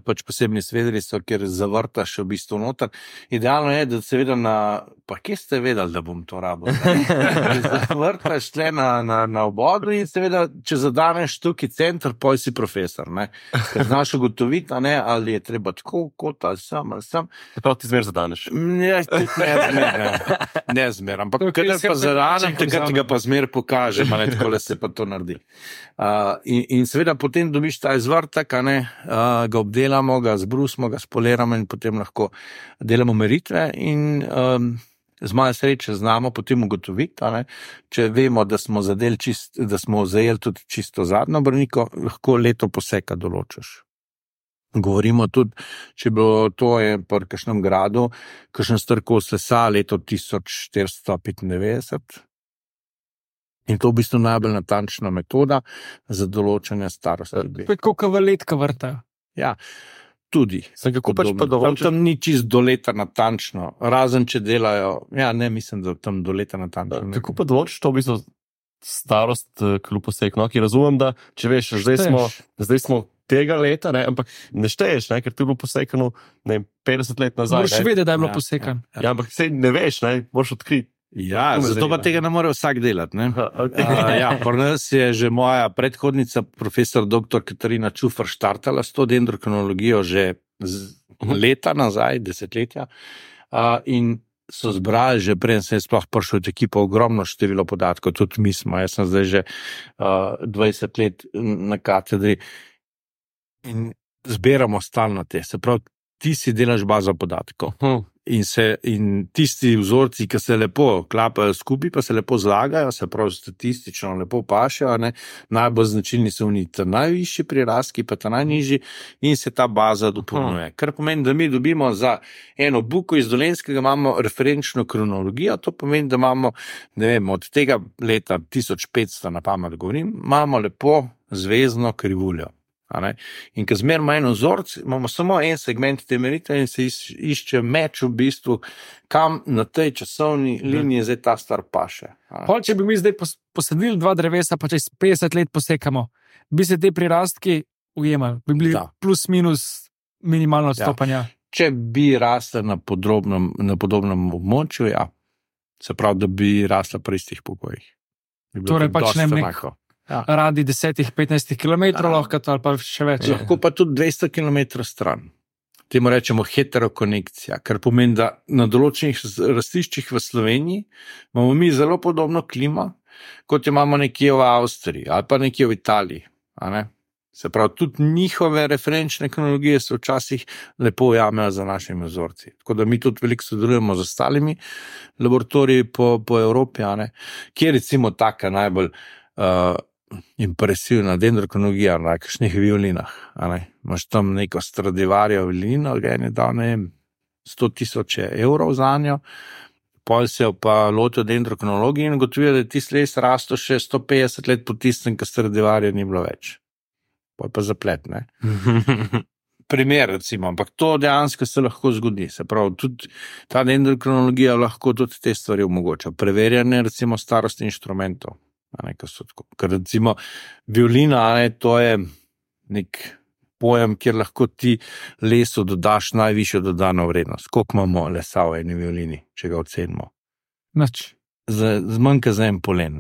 pač posebni svedri so, kjer zavrtaš v bistvu noter. Idealno je, da seveda pa kje ste vedeli, da bom to rabil? Zavrtaš tle na obodu in seveda, če zadaneš tukaj center, poj si profesor, ker znaš ugotoviti, ali je treba tako, kot ali sem. Prav ti zmer zadaneš. Ne zmer, ampak kadar pa zadanem, takrat ga pa zmer pokažem, tako se pa to naredi. In seveda potem dobiš ta izvrtek, ga obdelamo, ga zbrusimo, ga spoliramo in potem lahko delamo meritve in z malo sreče znamo potem ugotoviti, če vemo, da smo zajeli tudi čisto zadnjo brniko, lahko leto poseka določiš. Govorimo tudi, če bilo to je pri kakšnem gradu, kakšen star kos lesa leto 1495. In to v bistvu najbolj natančna metoda za določanje starosti. Koliko letka vrtajo? Ja, tudi. Tam ni čist do leta natančno, razen če delajo, mislim, da tam do leta natančno. Kako pa določiš to v bistvu starost kljub poseku? Ki razumem, da če veš, zdaj smo tega leta, ampak ne šteješ, ker ti je bilo posekano 50 let nazaj. Moraš vedeti, da je bilo posekano. Ja, ampak sej ne veš, moraš odkriti. Ja, zato pa tega ne more vsak delati. Pri nas je že moja predhodnica, profesor dr. Katarina Čufar, štartala s to dendrokronologijo že leta nazaj, desetletja, in so zbrali že prej, sem sploh prišel od ekipa, ogromno število podatkov, tudi mi smo, jaz sem zdaj že 20 let na katedri in zbiramo stalno te, se pravi, ti si delaš bazo podatkov. In tisti vzorci, ki se lepo klapajo skupaj, pa se lepo zlagajo, se pravi statistično lepo pašejo, najbolj značilni so najvišji prirastki, pa ta najnižji, in se ta baza dopolnjuje. Kar pomeni, da mi dobimo za eno buko iz Dolenjskega imamo referenčno kronologijo, to pomeni, da imamo, ne vem, od tega leta 1500 na pamet govorim, imamo lepo zvezdno krivuljo. In ko zmerimo en vzorc, imamo samo en segment te meritve in se išče meč v bistvu, kam na tej časovni liniji zdaj ta star paše. Če bi mi zdaj posadili 2 drevesa, pa čez 50 let posekamo, bi se te prirastki ujemali, bi bili plus minus minimalno odstopanja. Ja. Če bi rasla na podobnem območju, se pravi, da bi rasla pri istih pogojih. Torej pač ne neko. Radi 10-15 km lahko ali pa še več. Lahko pa tudi 200 km stran. Temu rečemo heterokonekcija, kar pomeni, da na določenih rastiščih v Sloveniji imamo mi zelo podobno klimo, kot imamo nekje v Avstriji ali pa nekje v Italiji. Se pravi, tudi njihove referenčne kronologije se včasih lepo ujamejo za našimi vzorci. Tako da mi tudi veliko sodelujemo z ostalimi laboratoriji po Evropi, kjer recimo taka najbolj impresivna dendrokronologija na kakšnih violinah. Imaš tam neko Stradivarijevo violino, ga je dal 100,000 evrov za njo, pol se pa lotijo dendrokronologije in gotovijo, da je tisti les rasto še 150 let po tistem, ko Stradivarija ni bilo več. Pol pa zaplet, Primer, recimo, ampak to dejansko se lahko zgodi. Se pravi, tudi ta dendrokronologija lahko tudi te stvari omogoča. Preverjanje, recimo, starosti inštrumentov. Ker recimo violina, to je nek pojem, kjer lahko ti lesu dodaš najvišjo dodano vrednost. Koliko imamo lesa v eni violini, če ga ocenimo? Nič. Zmanjka za en polen.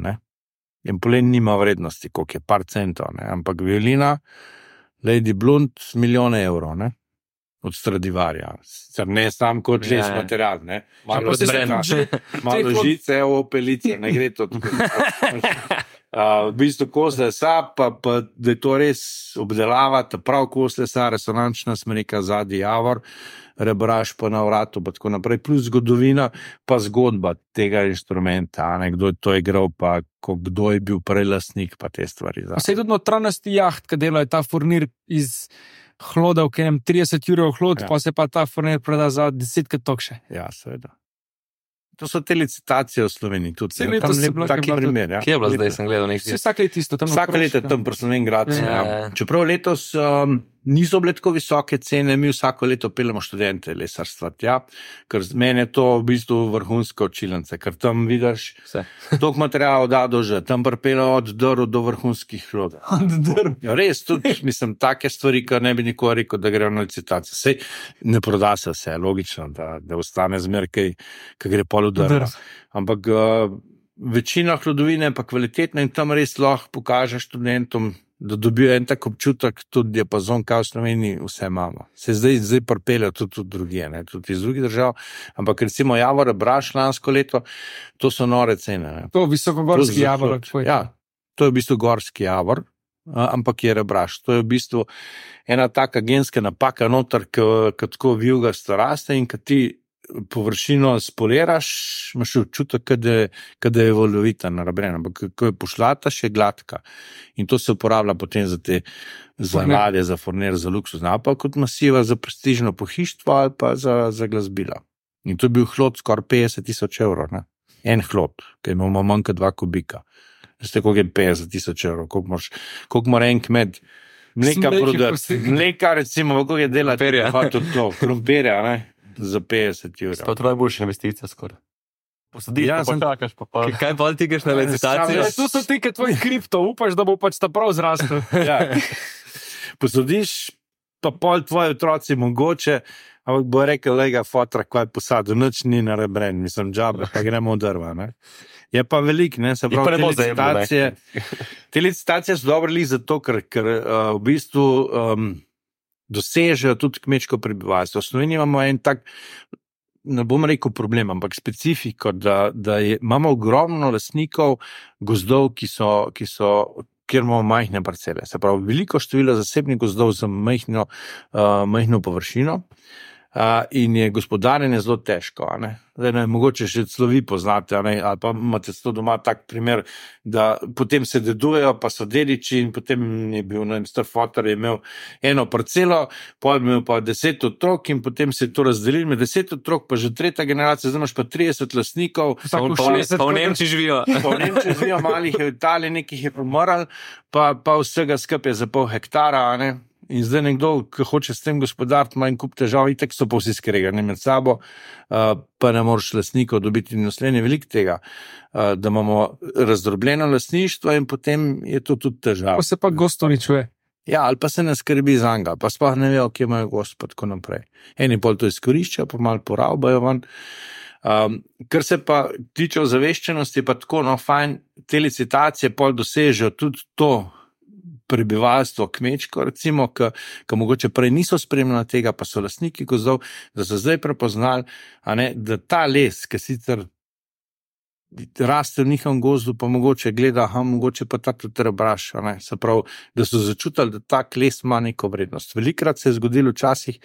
En polen nima vrednosti, koliko je par centov, ampak violina, Lady Blunt, milijone evrov, od Stradivarija. Sicer ne sam kot les material, malo žice, opelice, ne gre to tako. V bistvu kos lesa, pa da je to res obdelava, ta prav kos lesa, resonančna smreka, zadnji javor, rebraž pa na vratu, pa tako naprej, plus zgodovina, pa zgodba tega inštrumenta, kdo je to igral, pa kdo je bil prej lastnik, pa te stvari. Vse je tudi notranjosti jaht, ki delajo ta furnir iz hloda, v katerem 30 ur hlod, pa se pa ta furnir proda za 10 tokše. Ja, seveda. To so te licitacije v Sloveniji, tudi tam je taki primer. Kje je bilo zdaj, sem gledal nekaj? Vsak let isto. Vsak let je tam pri Slovenj Gradcu. Čeprav letos niso bile tako visoke cene, mi vsako leto peljemo študente lesarstva tja, ker meni je to v bistvu vrhunska učilnica, ker tam vidiš toliko materialov da dože, tam pripeljejo od drv do vrhunskih rodov. Ja, res, tudi, mislim, take stvari, kar ne bi nikoli rekel, da grejo na licitacijo. Sej ne proda se vse, logično, da ostane zmer, ki gre pol v drva. Ampak večina hlodovine je pa kvalitetna in tam res lahko pokaže študentom, da dobijo en tak občutek, tudi diapazon, kaj v Sloveniji vse imamo. Se zdaj pripeljajo tudi drugje, ne, tudi iz drugih držav, ampak recimo Javor Rebraš lansko leto, to so nore cene. Ne. To visokogorski Javor. Ja, to je v bistvu gorski Javor, ampak je Rebraš. To je v bistvu ena taka genska napaka noter, ki tako vijugasto raste in ki ti površino spoliraš, imaš občutek, da je valovita narabrena, ampak ko je pošlata, še gladka. In to se uporablja potem za te ladje, za furner, za luksuzne, pa kot masiva za prestižno pohištvo ali pa za glasbila. In to je bil hlod skoraj 50,000 evrov. Ne? En hlod, ki imamo manj kot 2 kubika. Veste, koliko je 50,000 evrov, koliko mora en kmet mleka prodati. Mleka, recimo, koliko je delati, krompirja, ne? Za 50 evrov. To je najboljša investicija skoraj. Posadiš, pa počakaš, pa. Kaj pa ti greš na licitacijo? To so ti, ki tvoj kripto, upaš, da bo pač ta prav zrastel. Ja. Posadiš, pa pol tvoji otroci mogoče, ampak bo rekel, lega, fotra, kaj posadil, nič ni narebren, mislim, džabe, pa gremo v drva, ne. Je pa velik, ne, se pravi, te licitacije so dobre zato, ker v bistvu dosežejo tudi kmečko prebivalstvo. V Sloveniji imamo en tak, ne bom rekel problem, ampak specifiko, da imamo ogromno lastnikov gozdov, kjer imamo majhne parcele. Se pravi, veliko število zasebnih gozdov za majhno površino in je gospodarjenje zelo težko. Zdaj, mogoče še celo vi poznate, ali pa imate to doma tak primer, da potem se dedujejo, pa so dediči in potem je bil, star fotor je imel eno parcelo, potem je imel pa 10 otrok in potem se je to razdelilo med 10 otrok, pa že 3. generacija, zdaj imaš pa 30 lastnikov. Pa v Nemčiji živijo. Pa v Nemčiji živijo, malih je v Italiji, nekih je pomrl, pa vsega skupaj za pol hektara, ne. In zdaj nekdo, ki hoče s tem gospodariti, ima en kup težav, itak so pa vsi skregani med sabo, pa ne moreš lastnikov dobiti in naslednje veliko tega, da imamo razdrobljeno lastništvo in potem je to tudi težava. Pa se pa gosto ničuje. Ja, ali pa se ne skrbi za njega, pa sploh ne vejo, kje imajo gost, pa tako naprej. Eni pol to izkoriščajo, pa malo poravbajo ven. Kar se pa tiče ozaveščenosti, je pa tako, fajn, te licitacije pol dosežejo tudi to, prebivalstvo kmečko, recimo, ki mogoče prej niso spremljali tega, pa so lastniki gozdov, da so zdaj prepoznali, da ta les, ki sicer raste v njihovem gozdu, pa mogoče gleda, mogoče pa ta tudi Rebraš, se pravi, da so začutili, da tak les ima neko vrednost. Velikrat se je zgodilo včasih,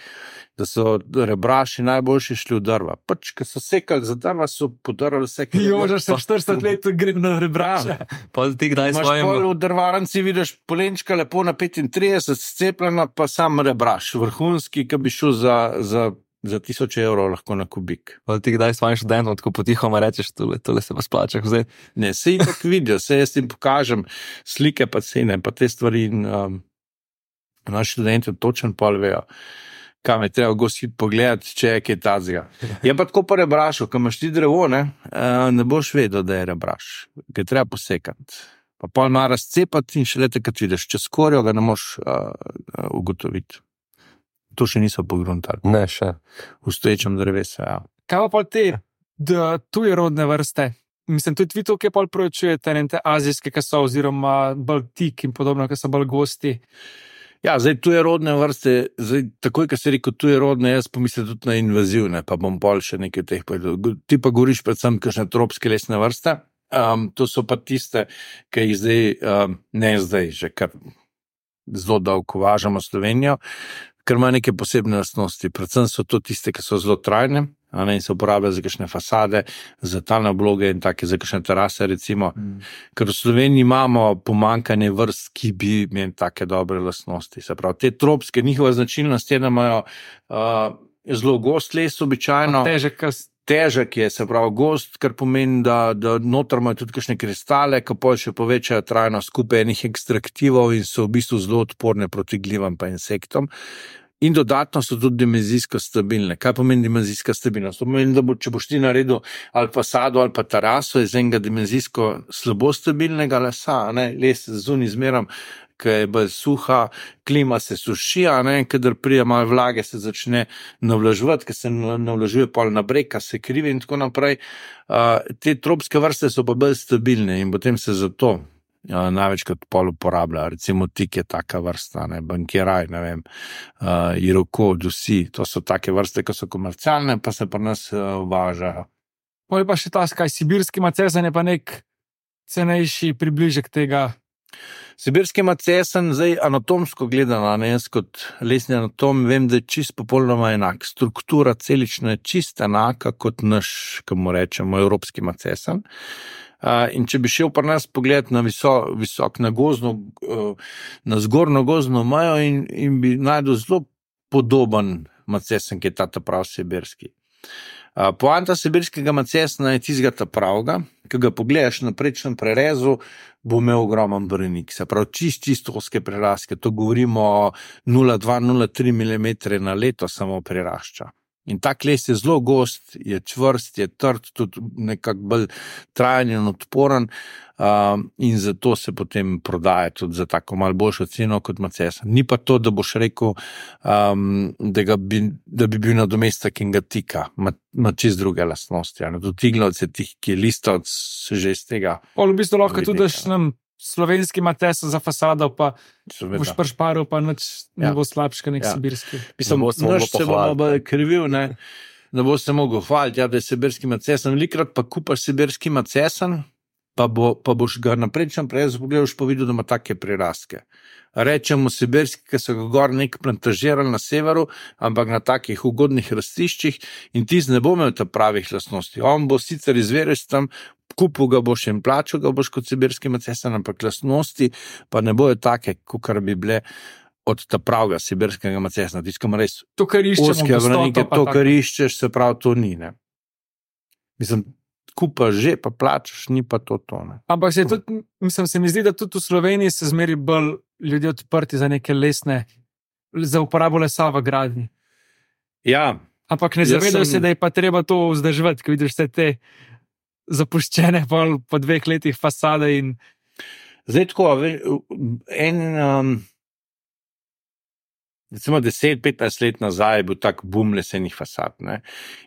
da so Rebraši najboljši šli v drva. Pač, ko so sekali za drva, so podarali vse. Jože, se 40 let grem na Rebraša. Pa ti kdaj svojim... Imaš pol v drvarnici, vidiš polenčka lepo na 35, scepljena, pa sam Rebraš, vrhunski, ki bi šel za 1000 evrov lahko na kubik. Pa ti kdaj svojim študentom tako potihoma rečeš, tole se pa splača vzeti? Ne, se jih tako vidijo, se jaz jim pokažem slike pa cene, pa te stvari in naši študenti točno pol vejo, kam je treba gosti pogledati, če je kaj tazga. Je pa tako po Rebrašu, ko imaš ti drevo, ne boš vedel, da je Rebraš, ga je treba posekati. Pa pol ima razcepati in še lete, kad vidiš, če skorjo ga ne moš ugotoviti. To še niso pogruntali. Ne, še. V stoječem drevesu, ja. Kaj pa te tuje rodne vrste? Mislim, tudi vi tukaj pol preučujete, te azijske, ki so, oziroma bolj tik in podobno, ki so bolj gosti. Ja, zdaj tuje rodne vrste, takoj, ko se rekel tuje rodne, jaz pomislim tudi na invazivne, pa bom pol še nekaj teh povedal. Ti pa govoriš predvsem kakšne tropske lesne vrste, to so pa tiste, ki jih zdaj, ne zdaj, že kar zelo dolgo uvažamo Slovenijo, ker ima neke posebne lastnosti. Predvsem so to tiste, ki so zelo trajne, in se uporabljajo za kakšne fasade, za talne obloge in take, za kakšne terase, recimo. Ker v Sloveniji imamo pomanjkanje vrst, ki bi imeli take dobre lastnosti. Se pravi, te tropske, njihova značilnost je, da imajo zelo gost les običajno. težek je, se pravi gost, kar pomeni, da noter imajo tudi kakšne kristale, ki pa še povečajo trajnost skupaj enih ekstraktivov in so v bistvu zelo odporne proti glivam pa insektom. In dodatno so tudi dimenzijsko stabilne. Kaj pomeni dimenzijska stabilnost? To pomeni, da če boš ti naredil ali fasado ali pa teraso iz enega dimenzijsko slabo stabilnega lesa, les zunaj zmeram, ki je bolj suha, klima se suši, kadar pride malo vlage, se začne navlaževati, ker se navlažuje pol na breg, se krivi in tako naprej. Te tropske vrste so pa bolj stabilne in potem se zato največkrat pol uporablja. Recimo tik je taka vrsta, bankiraj, iroko, dusi, to so take vrste, ki so komercialne, pa se pri nas uvažajo. Pol pa še ta sibirski macesen je pa nek cenejši približek tega. Sibirski macesen, zdaj anatomsko gledano, jaz kot lesni anatom vem, da je čist popolnoma enak. Struktura celična je čist enaka kot naš, kako rečemo, evropski macesen. In če bi šel pri nas pogledati na visok, na gozdno, na zgornjo gozdno mejo in bi najdel zelo podoben macesen, ki je ta prav sibirski. Poanta sibirskega macesna je tistega ta pravga, ki ga pogledaš na prečnem prerezu, bo imel ogromen branik, se pravi čist oske preraske, to govorimo o 0,2-0,3 mm na leto samo prirašča. In tak les je zelo gost, je čvrst, je trd, tudi nekako bolj trajen in odporen in zato se potem prodaja tudi za tako malo boljšo ceno kot macesen. Ni pa to, da boš rekel, da bi bil nadomestek in ga tika, ima čist druge lastnosti. Tudi iglavce, ki je listovc, že iz tega. V bistvu lahko tudi daš nam slovenski macesen za fasado, pa boš pršparil, pa nič ne bo slabška nek sibirski. Mislim, naš se bo bolj krivil, ne bo se mogel hvaliti, da je sibirski macesen. Velikrat pa kupaš sibirski macesen, pa boš ga na prečnem prerezu pogledal, pa videl, da ima take priraske. Rečemo sibirski, ki so ga gor nek plantažirali na severu, ampak na takih ugodnih rastiščih in tisti ne bo imel ta pravih lastnosti. On bo sicer izveril tam, kupil ga boš in plačal ga boš kot sibirski macesen, ampak lastnosti pa ne bojo take, kakor bi bile od ta pravega sibirskega macesna. Tiskamo res to, kar iščeš, se pravi, to ni. Mislim, kupaš že, pa plačaš, ni pa to. Ampak se mi zdi, da tudi v Sloveniji se zmeri bolj ljudje odprti za neke lesne, za uporabo lesa v gradnji. Ja. Ampak ne zavedajo se, da je pa treba to vzdrževati, ko vidiš vse te zapuščene po 2 letih fasade in... Zdaj tako, recimo 10-15 let nazaj je bil tak boom lesenih fasad.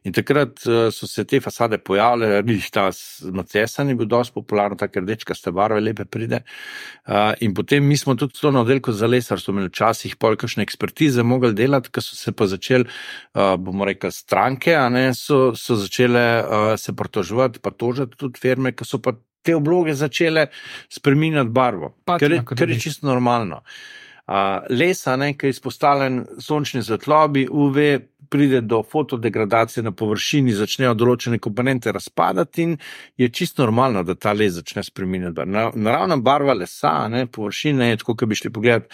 In takrat so se te fasade pojavile, ta macesen je bil dosti popularen, tako rdečkaste barve lepe pride. In potem mi smo tudi to na oddelku za lesarstvo imeli včasih pol kakšne ekspertize mogli delati, ker so se pa začeli, bomo rekli, stranke, so začele se pritoževati, pa tožati tudi firme, ki so pa te obloge začele spreminjati barvo, kar je čisto normalno. Lesa, ki je izpostavljen sončni svetlobi, UV, pride do fotodegradacije na površini, začnejo določene komponente razpadati in je čisto normalno, da ta les začne spreminjati. Naravna barva lesa, površine je tako, kot bi šli pogledati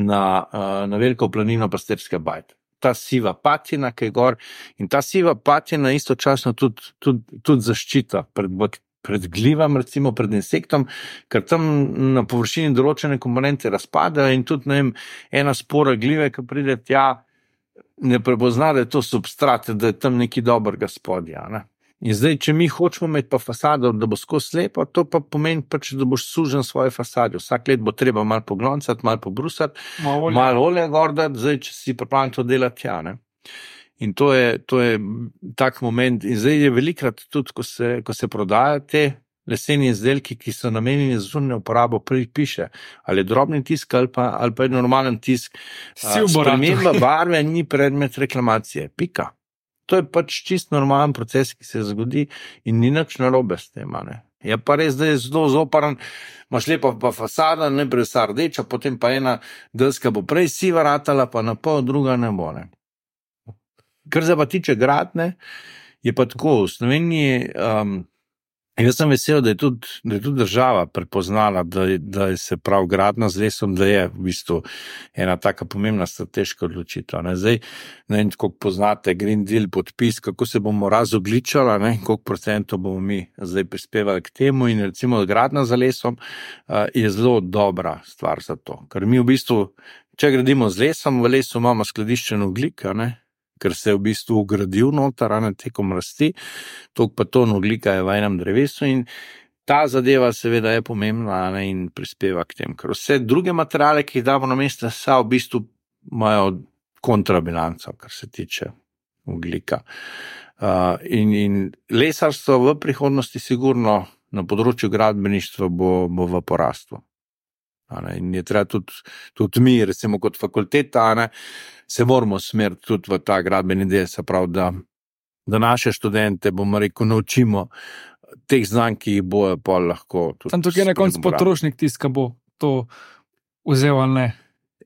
na veliko planino Pasterske bajte. Ta siva patina, ki je gor, in ta siva patina istočasno tudi zaščita pred glivam, recimo pred insektom, ker tam na površini določene komponente razpadajo in tudi, ena spora glive, ki pride tja, ne prepozna, da je to substrat, da je tam nekaj dobrega spodja. In zdaj, če mi hočemo imeti pa fasado, da bo skozi slepo, to pa pomeni pač, da boš sužen svoje fasade. Vsak let bo treba malo pogloncati, malo pobrusati, malo olje gordati, zdaj, če si pripravljen to delati tja, In to je tak moment. In zdaj je velikrat tudi, ko se prodajajo te leseni izdelki, ki so namenjeni za zunanjo uporabo, piše, ali je drobni tisk ali pa je normalen tisk. Sprememba barve ni predmet reklamacije. Pika. To je pač čist normalen proces, ki se zgodi in ni nič narobe s tem. Je pa res, da je zelo zoparan, imaš lepa pa fasada, najprej vsa rdeča, potem pa ena deska bo prej siva ratala, pa na pol druga ne bo. Kar se pa tiče gradnje, je pa tako, v Sloveniji Jaz sem vesel, da je tudi država prepoznala, da je se prav gradnja z lesom, da je v bistvu ena taka pomembna strateška odločitev. Zdaj, ne vem, koliko poznate Green Deal podpis, kako se bomo razogličali, koliko procentov bomo mi zdaj prispevali k temu in recimo gradnja z lesom je zelo dobra stvar za to. Ker mi v bistvu, če gradimo z lesom, v lesu imamo skladiščen ogljik, ker se je v bistvu ugradil noter, tekom rasti, toliko pa ton ogljika je v enem drevesu in ta zadeva seveda je pomembna in prispeva k tem, ker vse druge materiale, ki jih damo na mesto lesa, v bistvu imajo kontrabilanco, kar se tiče ogljika. In lesarstvo v prihodnosti sigurno na področju gradbeništva bo v porastu. In je treba tudi mi, recimo kot fakulteta, se moramo smeriti tudi v ta gradbeni del, se pravi, da naše študente, bomo rekel, naučimo teh znanj, ki jih bojo pa lahko. Tam tukaj je na koncu potrošnik tisti, ki bo to vzel ali ne.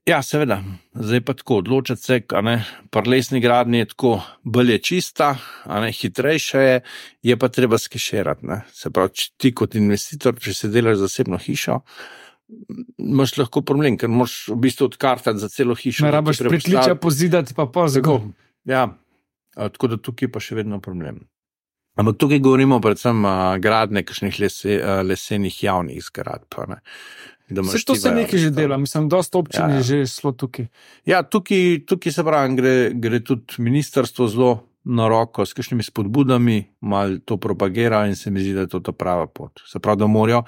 Ja, seveda. Zdaj pa tako, odločati se, pri lesni gradnji je tako, bolj je čista, hitrejša je pa treba skeširati. Se pravi, ti kot investitor, če se delaš zasebno hišo, imaš lahko problem, ker moraš v bistvu odkartati za celo hišo. Ne rabiš pritličja pozidati, pa pozgo. Ja, tako da tukaj pa še vedno problem. Ampak tukaj govorimo predvsem gradnje kakšnih lesenih javnih zgradb. Vse to se nekaj že dela, mislim, dosta občin je že šlo tukaj. Ja, tukaj se pravi, gre tudi ministrstvo zelo na roko s kakšnimi spodbudami, malo to propagira in se mi zdi, da je to ta prava pot. Se pravi, da morajo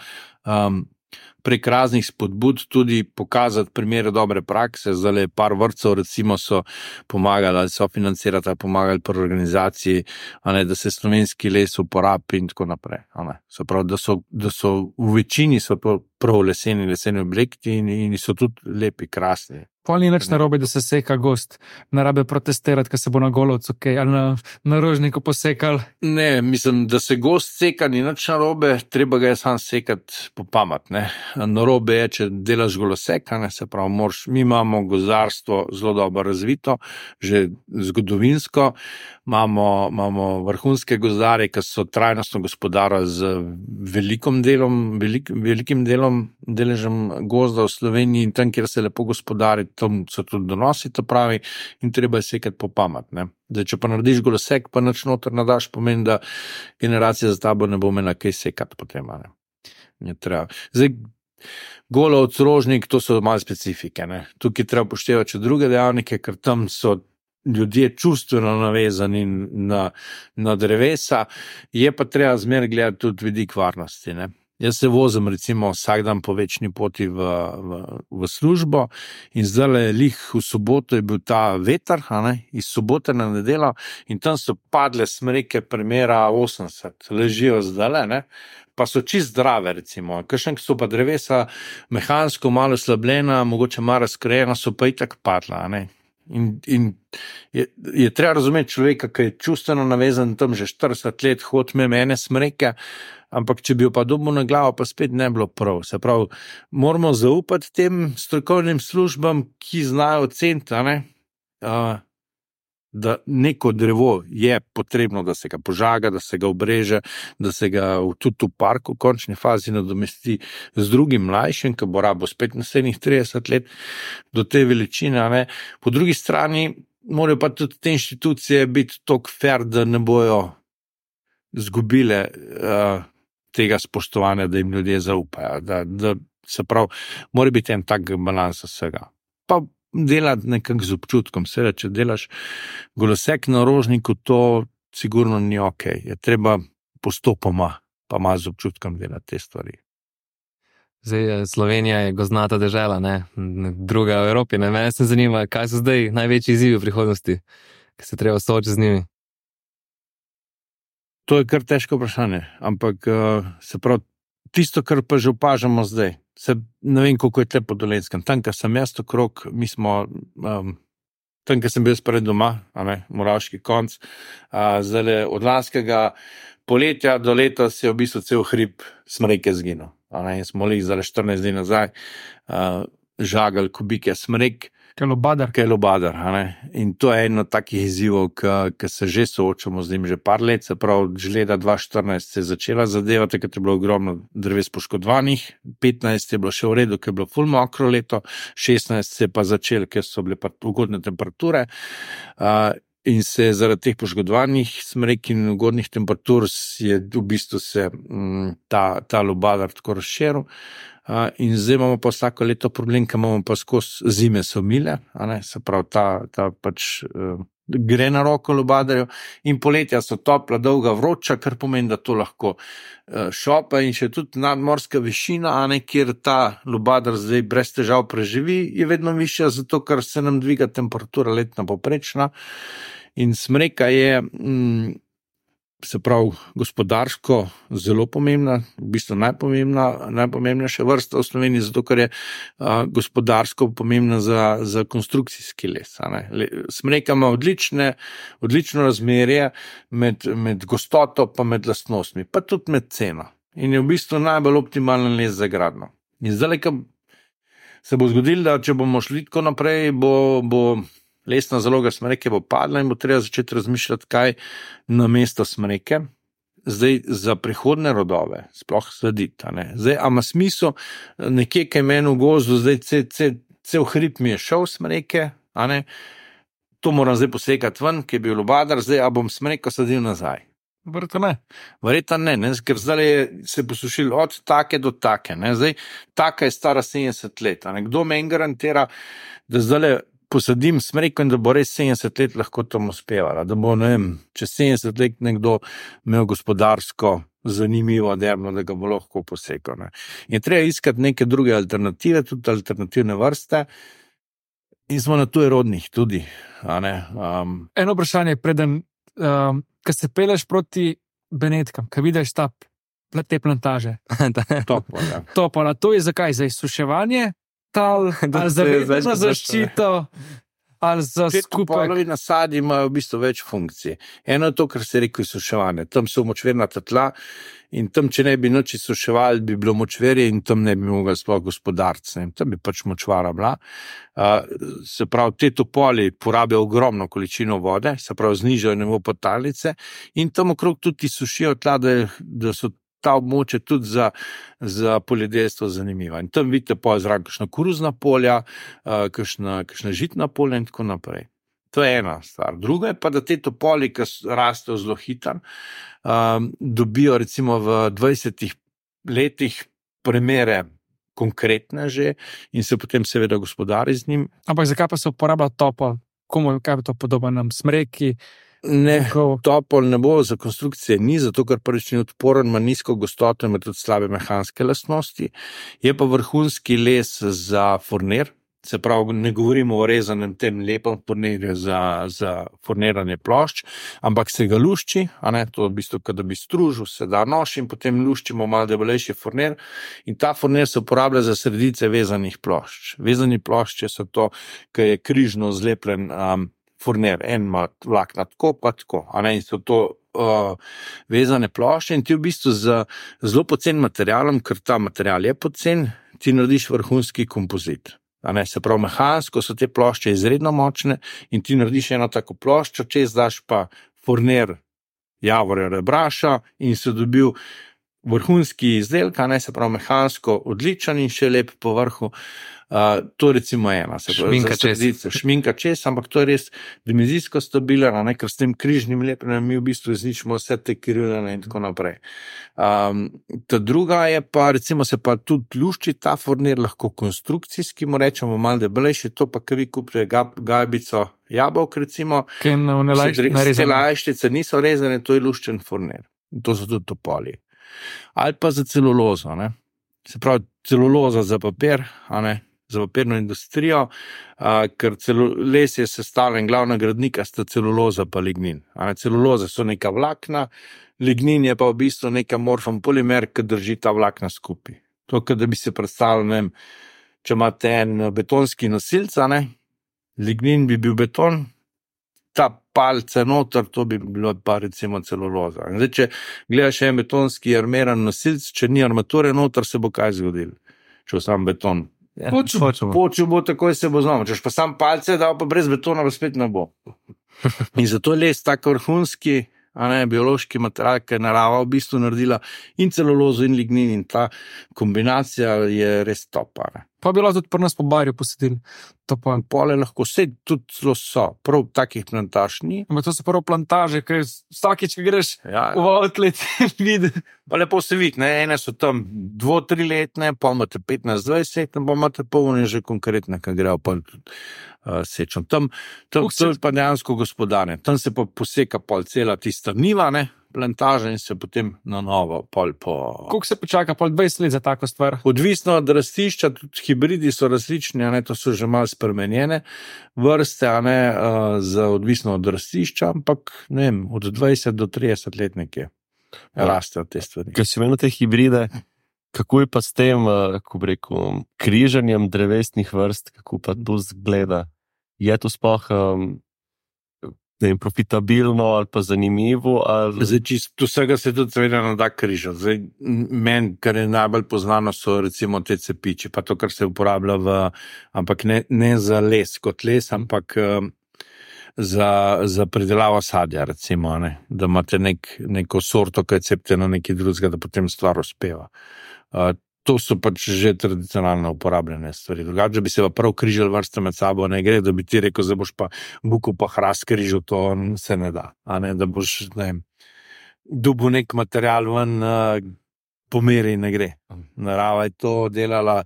prek raznih spodbud tudi pokazati primere dobre prakse. Zdaj par vrtcev recimo so pomagali ali so financirati, pomagali pri organizaciji, da se slovenski les uporabi in tako naprej. Se pravi, da so v večini so prav leseni objekti in so tudi lepi, krasni. Pol ni nič narobe, da se seka gozd, ne rabe protestirati, ker se bo na Golovcu ali na Rožniku posekal. Ne, mislim, da se gozd seka ni nič narobe, treba ga je sam sekati po pamet. Narobe je, če delaš golosek, se pravi, mi imamo gozdarstvo zelo dobro razvito, že zgodovinsko, imamo vrhunske gozdarje, ki so trajnostno gospodarili z velikim deležem gozda v Sloveniji in tam, kjer se lepo gospodari, tam so tudi donosi, to pravi, in treba je sekati po pamet. Zdaj, če pa narediš golosek, pa nič noter nadaš, pomeni, da generacija za tabo ne bo imela kaj sekati potem. Zdaj, Golovec, Rožnik, to so malo specifike. Tukaj treba upoštevati še druge dejavnike, ker tam so ljudje čustveno navezani na drevesa, je pa treba zmeraj gledati tudi vidik varnosti. Jaz se vozim recimo vsak dan po večni poti v službo in zdaj lih v soboto je bil ta veter, iz sobote na nedeljo in tam so padle smreke primera 80, ležijo zdaj, pa so čist zdrave recimo. Kakšen so pa drevesa mehansko malo slabljena, mogoče malo razkrajena, so pa itak padla, In je treba razumeti človeka, ki je čustveno navezan tam že 40 let, hod mene smreke, ampak če bi jo pa dobil na glavo, pa spet ne bilo prav. Se pravi, moramo zaupati tem strokovnim službam, ki znajo oceniti, da neko drevo je potrebno, da se ga požaga, da se ga obreže, da se ga tudi v parku v končni fazi nadomesti z drugim mlajšim, ki bo rabo spet naslednjih 30 let do te veličine. Po drugi strani morajo pa tudi te inštitucije biti toliko fair, da ne bojo zgubile tega spoštovanja, da jim ljudje zaupajo. Da se pravi, mora biti en tak balans vsega. Pa delati nekako z občutkom. Seveda, če delaš golosek na Rožniku, to sigurno ni ok. Je treba postopoma, pa malo z občutkom delati te stvari. Zdaj, Slovenija je gozdnata dežela, druga v Evropi. Mene se zanima, kaj so zdaj največji izzivi v prihodnosti, ki se treba soočiti z njimi. To je kar težko vprašanje, ampak se pravi, tisto, kar pa že opažamo zdaj, ne vem, koliko je tle po Dolenjskem. Tam, kar sem jaz okrog, mi smo, tam, kar sem bil spred doma, Moravški konc, zdaj od lanskega poletja do letos je v bistvu cel hrib smreke zginil. In smo jih zdaj 14 dni nazaj žagali kubike smrek, Kelobadar. Kelobadar. In to je eno takih izzivov, ki se že soočamo z njim že par let, se pravi, že leta 2014 se je začela zadeva, takrat je bilo ogromno dreves poškodovanih, 15 je bilo še v redu, ker je bilo ful mokro leto, 16 se je pa začel, ker so bile pa ugodne temperature. In se zaradi teh poškodovanih smrek in ugodnih temperatur je v bistvu se ta lubadar tako razširil. In zdaj imamo pa vsako leto problem, ker imamo pa skozi zime so mile, se pravi, ta pač gre na roko lubadarju in poletja so topla, dolga, vroča, kar pomeni, da to lahko šopa in še tudi nadmorska višina, kjer ta lubadar zdaj brez težav preživi, je vedno višja, zato ker se nam dviga temperatura letna poprečna. In smreka je, se pravi, gospodarsko zelo pomembna, v bistvu najpomembnejša vrsta v Sloveniji, zato ker je gospodarsko pomembna za konstrukcijski les. Smreka ima odlično razmerje med gostoto pa med lastnostmi, pa tudi med ceno. In je v bistvu najbolj optimalen les za gradnjo. In zdaj, ko se bo zgodilo, da če bomo šli tako naprej, bo lesna zaloga smreke bo padla in bo treba začeti razmišljati, kaj na mesto smreke zdaj za prihodne rodove sploh slediti. Zdaj, a ima smisel nekje, kaj meni v gozdu, zdaj cel hrib mi je šel smreke, to moram zdaj posekati ven, ki je bil lubadar, zdaj, a bom smreko sadil nazaj. Verjetno ne, ker zdaj se je posušil od take do take. Zdaj, taka je stara 70 let. Kdo meni garantira, da zdaj posadim smreko in da bo res 70 let lahko tam uspevala, da bo, čez 70 let nekdo imel gospodarsko zanimivo deblo, da ga bo lahko posekal. In treba iskati neke druge alternative, tudi alternativne vrste in smo na tujerodnih tudi. Eno vprašanje, preden, ko se peleš proti Benetkam, ko vidiš te plantaže. Topola, to je zakaj? Za izsuševanje? Ali za vedno zaščito, ali za skupaj. Topolovi nasadi imajo v bistvu več funkcij. Eno je to, kar se reče izsuševanje. Tam so močvirnata tla in tam, če ne bi nič izsuševali, bi bilo močverje in tam ne bi mogli sploh gospodariti. Tam bi pač močvara bila. Se pravi, te topoli porabijo ogromno količino vode, se pravi, znižajo nivo podtalnice in tam okrog tudi izsušijo tla, da so ta območje tudi za poljedelstvo zanimiva. In tam vidite zraven kakšna koruzna polja, kakšna žitna polja in tako naprej. To je ena stvar. Druga je pa, da te topoli, ki rastejo zelo hitro, dobijo recimo v 20 letih premere konkretne že in se potem seveda gospodari z njim. Ampak zakaj pa se uporablja topol? Komu, kaj je to podobno nam smreki? Ne, topol ne bo za konstrukcije ni, zato ker prvič ni odporen, ima nizko gostoto, ima tudi slabe mehanske lastnosti. Je pa vrhunski les za furnir, se pravi, ne govorimo o rezanem tem lepem furnirju za furniranje plošč, ampak se ga lušči, to v bistvu, kada bi stružil, se da nož in potem luščimo malo debelejši furnir in ta furnir se uporablja za sredice vezanih plošč. Vezani plošče so to, ki je križno zlepljen furnir, en ima vlakna tako, pa tako, in so to vezane plošče in ti v bistvu z zelo pocen materialom, ker ta material je pocen, ti narediš vrhunski kompozit. Se pravi, mehansko so te plošče izredno močne in ti narediš eno tako ploščo, čez daš pa furnir javorja rebraša in se dobil vrhunski izdelek, se pravi, mehansko odličen in še lep po vrhu. To recimo ena. Šminka čez, ampak to je res dimenzijsko stabilen, ker s tem križnim lepljenjem mi v bistvu izničimo vse te krivljene in tako naprej. Ta druga je pa, recimo se pa tudi lušči ta furnir lahko konstrukcijski, mu rečemo malo debelejši, to pa, ki vi kupite gajbico jabolk, recimo, te lajštice niso rezane, to je luščen furnir. To so tudi topoli. Ali pa za celulozo, se pravi, celuloza za papir, za papirno industrijo, ker les je sestavljen, glavna gradnika sta celuloza pa lignin. Celuloza so neka vlakna, lignin je pa v bistvu neka morfan polimer, ki drži ta vlakna skupaj. To, da bi se predstavljal, če imate en betonski nosilc, lignin bi bil beton, ta palce noter, to bi bilo pa recimo celuloza. Zdaj, če gledaš en betonski armeran nosilc, če ni armature noter, se bo kaj zgodil, če sam beton Počel bo, takoj se bo znamo. Češ pa sam palce dal, pa brez betona pa spet ne bo. In zato je les tak vrhunski, biološki material, ki je narava v bistvu naredila in celulozo in lignin in ta kombinacija je res top. Pa bi lahko tudi pri nas po barju posedili. Pole lahko vse tudi zelo so, prav takih plantaž ni. To so prvo plantaže, ker vsakič, ki greš v outlet, vidi. Pa lepo se vidi, ene so tam 2-3 letne, pa imate 15-20 letne, pa imate polne že konkretne, ki grejo pa sečem. Tam to je pa dejansko gospodarne. Tam se pa poseka pol cela tista niva, plantaža in se potem na novo pol po... Koliko se počaka pol 20 let za tako stvar? Odvisno od rastišča, tudi hibridi so različni, to so že malo spremenjene vrste, za odvisno od rastišča, ampak ne vem, od 20 do 30 let nekje rastejo te stvari. Ker si imel te hibride, kako je pa s tem, kako bi rekel, križanjem drevesnih vrst, kako pa to zgleda? Je to sploh profitabilno ali pa zanimivo? Ali... Zdaj, čisto vsega se tudi seveda ne da križati. Zdaj, meni, kar je najbolj poznano, so recimo te cepiči, pa to, kar se uporablja ampak ne za les kot les, ampak za pridelavo sadja, recimo, da imate neko sorto, ki je cepite na neki drugega, da potem stvar uspeva. To so pač že tradicionalno uporabljene stvari. Drugače, bi se pa prav križali vrste med sabo, ne gre, da bi ti rekel, da boš pa buko pa hrast križal, to se ne da. Da boš, dobil nek material ven, pomeri ne gre. Narava je to delala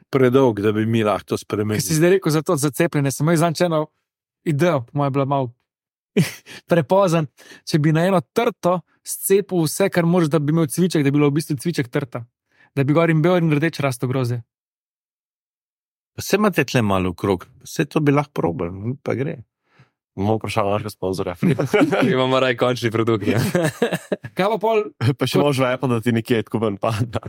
predolg, da bi mi lahko to spremenili. Kaj si zdaj rekel za to zacepljene, sem imel zančeno idejo, moja bila malo prepozan, če bi na eno trto scepil vse, kar moraš, da bi imel cviček, da bi bilo v bistvu cviček trta. Da bi gor in bel in rdeč rasto groze. Vse imate tle malo okrog, vse to bi lahko probali, pa gre. Imamo vprašanje našega sponzorja. Imamo raj končni produkt. Kaj pa pol? Pa še možno je pa, da ti nekje tako ven pada.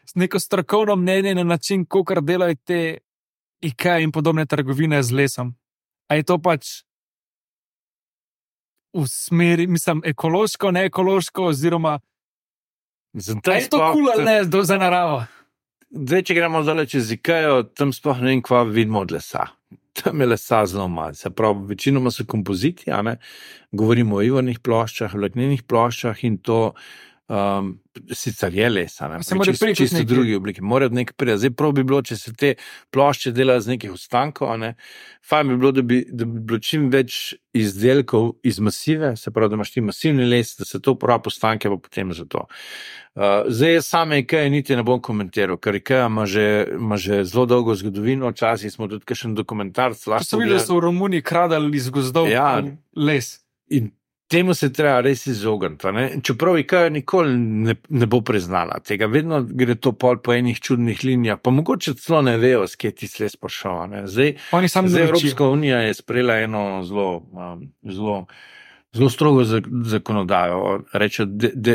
S neko strokovno mnenje na način, kakor delajo te IKEA in podobne trgovine z lesom. A je to pač v smeri, mislim, ekološko, ne ekološko, oziroma je to kul ali ne za naravo? Zdaj, če gremo zdaj čez IKEA, tam sploh ne vem, kva vidimo od lesa. Tam je lesa zelo malo. Se pravi, večinoma so kompoziti, govorimo o ivornih ploščah, vlaknenih ploščah in to sicer je lesa, čisto drugi obliki. Morajo nekaj prija. Zdaj prav bi bilo, če se te plošče delajo z nekih ostankov, fajn bi bilo, da bi bilo čim več izdelkov iz masive, se pravi, da imaš ti masivni les, da se to uporabi ostanke, pa potem za to. Zdaj same IKEA niti ne bom komentiral, ker IKEA ima že zelo dolgo zgodovino, včasih smo tudi kakšen dokumentarc. So videli, da so v Romuniji kradali iz gozdov les. In temu se treba res izogniti. Čeprav IKEA nikoli ne bo priznala tega, vedno gre to pol po enih čudnih linijah, pa mogoče celo ne vejo, s kje ti les prišel. Zdaj Evropska unija je sprejela eno zelo strogo zakonodajo, reče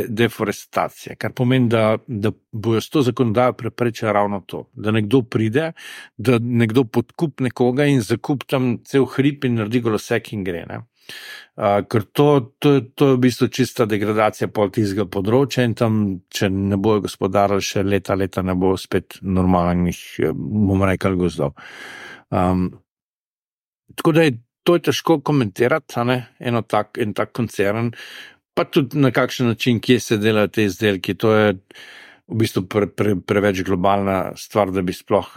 deforestacija, kar pomeni, da bojo s to zakonodajo preprečili ravno to, da nekdo pride, da nekdo podkup nekoga in zakup tam cel hrib in naredi golosek in gre. Ker to je v bistvu čista degradacija pol tistega področja in tam, če ne bojo gospodarili še leta ne bo spet normalnih, bomo rekli, gozdov. Tako da to je težko komentirati, en tak koncern, pa tudi na kakšen način, kje se delajo te izdelki, to je v bistvu preveč globalna stvar, da bi sploh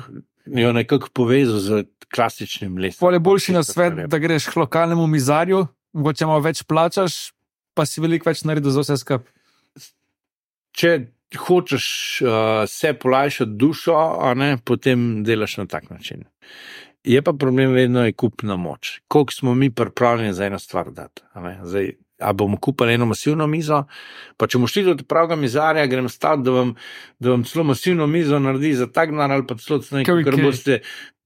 jo nekako povezal z klasičnim lesom. Pol je boljši na svet, da greš k lokalnemu mizarju, mogoče malo več plačaš, pa si veliko več naredil za vse skup. Če hočeš se polajšati dušo, potem delaš na tak način. Je pa problem vedno je kupna moč. Koliko smo mi pripravljeni za eno stvar dati? Zdaj, a bomo kupili eno masivno mizo, pa če bomo šli do pravega mizarja, grem stati, da vam celo masivno mizo naredi za tak denar ali pa celo nekaj, kar boste,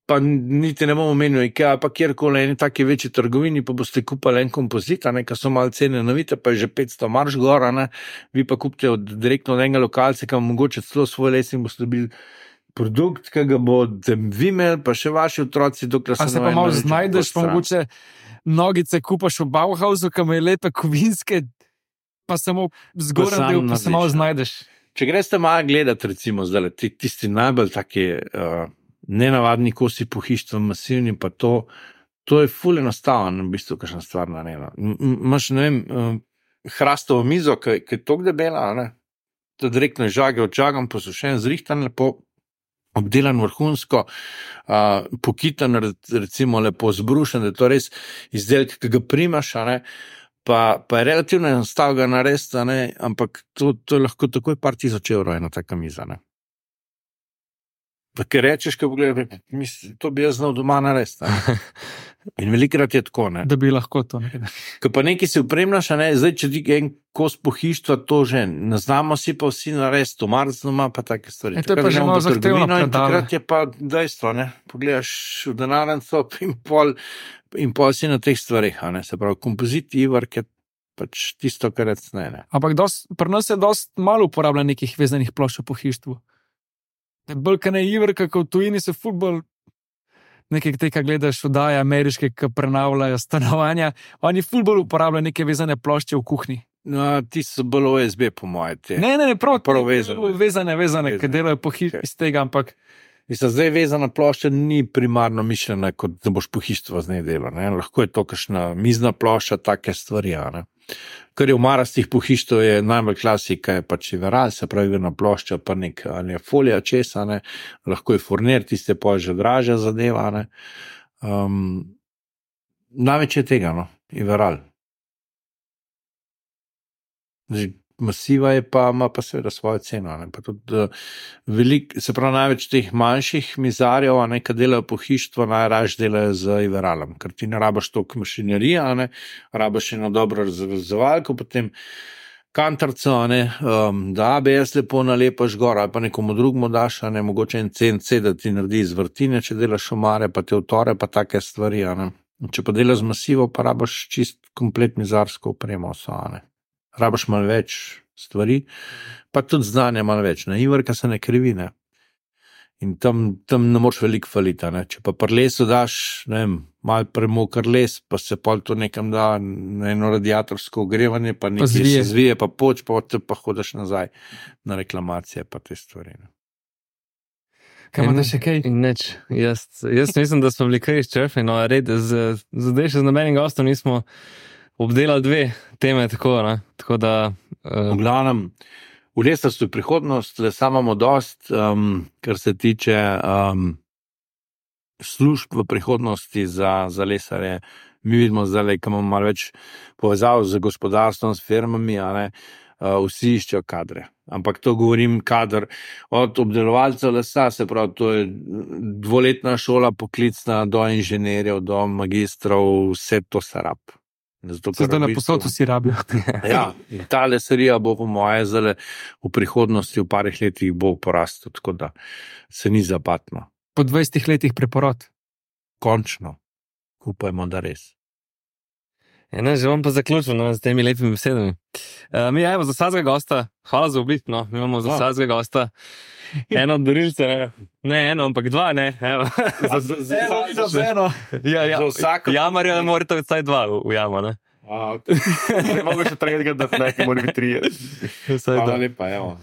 pa niti ne bomo menili IKEA, pa kjerkoli eni taki večji trgovini, pa boste kupili en kompozit, ki so malo cene navite, pa je že 500 marš gor, vi pa kupite direktno od enega lokalca, ki vam mogoče celo svoj les in boste dobili produkt, ki ga boste vi imeli, pa še vaši otroci, dokler se pa malo znajdeš, pa mogoče nogice kupaš v Bauhausu, ki ima lepe kovinske, pa samo zgoren del, pa se malo znajdeš. če greste malo gledati, recimo, zdaj, tisti najbolj taki nenavadni kosi pohištva, masivni, pa to je ful enostavno, v bistvu, kakšna stvar narejena. Imaš, ne vem, hrastovo mizo, ki je toliko debela, ne? To direktno žage odžagam, posušen, zrihtan lepo, obdelan vrhunsko, pokitan, recimo lepo zbrušen, da je to res izdelek, ki ga primaš, ne? Pa je relativno enostavno ga narediti, ampak to je lahko takoj par tisoč evrov ena taka miza. Ne? Pa ker rečeš, ko pogledaj, to bi jaz znal doma narediti. In velikrat je tako. Ne? Da bi lahko to naredil. Ko pa nekaj si upremljaš, zdaj, če ti en kos pohištva, to že ne znamo si pa vsi narediti, to marc doma pa take stvari. To je pa že malo zahtevno predalo. Takrat je pa dejstvo, ne? Pogledaš v denarnico in pol si na teh stvarih, se pravi, kompozit, ivark je pač tisto, kar ne. Ampak pri nas je dosti malo uporablja nekih vezanih plošč v pohištvu. Bolj, kaj ne ivarka, kot v tujini se futbol, nekaj tega gledaš vdaje ameriške, ki prenavljajo stanovanja, oni futbol uporabljajo neke vezane plošče v kuhinji. No, ti so bolj OSB, po moje. Ne, prav vezane, ki delajo pohištvo iz tega, ampak Mislim, zdaj vezana plošča ni primarno mišljena, kot da boš pohištvo z njej delal. Lahko je to kakšna mizna plošča, take stvari. Kar je v marastih pohištv, je najbolj klasika, je pač veral, se pravi na plošča, pa nek ali je folija česa, lahko je furnir, tiste pa že dražja zadeva. Največ je tega, je veral. Masiva je pa, ima pa seveda svojo ceno. Pa tudi se pravi, največ teh manjših mizarjev, ki delajo pohištvo, najraž delajo z Iveralom, ker ti ne rabaš toliko mašinerije, rabaš eno dobro razvezovalko, potem kantarco, da ABS lepo nalepaš gor, ali pa nekomu drugmu daš, mogoče en CNC, da ti naredi iz vrtine, če delaš omare, pa te utore, pa take stvari. Če pa delaš z masivo, pa rabaš čist komplet mizarsko opremo. Rabaš malo več stvari, pa tudi znanja malo več. Ivarka se ne krivi, in tam ne moreš veliko faliti. Če pa pri lesu daš, malo premokar les, pa se pol to nekam da na eno radiatorsko ogrevanje, pa nekaj se zvije, pa poč, pa hodiš nazaj na reklamacije, pa te stvari. Kaj imate še kaj? Nič. Jaz mislim, da smo bili kaj izčrpni, zdaj še z nobenim gostom nismo obdelali dve teme, tako da... V glavnem, v lesarstvu je prihodnost, lesa imamo dost, kar se tiče služb v prihodnosti za lesarje. Mi vidimo zdaj, ko imamo malo več povezav z gospodarstvom, s firmami, vsi iščejo kadre. Ampak to govorim kader od obdelovalcev lesa, se pravi, to je 2-letna šola poklicna do inženirjev, do magistrov, vse to se rab. Zdaj na posodu si rabijo. Ja, in ta lesarija bo po moje zale v prihodnosti, v parih letih bo porastel, tako da se ni zapatno. Po 20 letih preporod. Končno. Upajmo, da res. Že bom pa zaključil z temi lepimi besedami. Mi imamo za vsakega gosta, hvala za obisk, mi imamo za vsakega gosta eno od darilce, ne eno, ampak dva, ne. Za eno. Jamarja morate vsaj dva v jamo, ne. Mogo še tretjega, da nekaj mora biti 3. Hvala lepa, evo.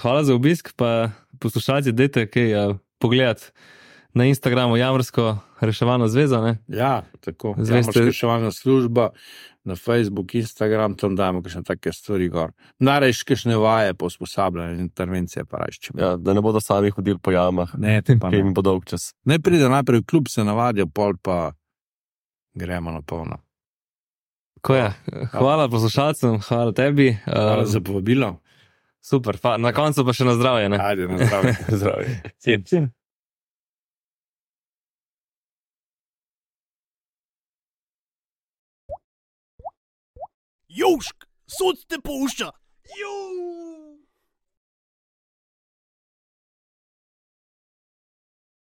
Hvala za obisk, pa poslušalci, dajte kaj pogledati na Instagramu Jamarsko reševalna zveza, ne? Ja, tako. Jamarska reševalna služba, na Facebook, Instagram, tam dajmo kakšne take stvari gor. Narejš kakšne vaje po usposabljanju, intervencije pa rajščemo. Ja, da ne bodo sami hodili po jamah. Ne, te pa ne. Ki jim bo dolg čas. Ne pride najprej v klub, se navadijo, pol pa gremo na polno. Tako je. Hvala poslušalcem, hvala tebi. Hvala za povabilo. Super, na koncu pa še na zdravje, ne? Ajde, na zdravje. Zdravje. Južk, sod te pušča.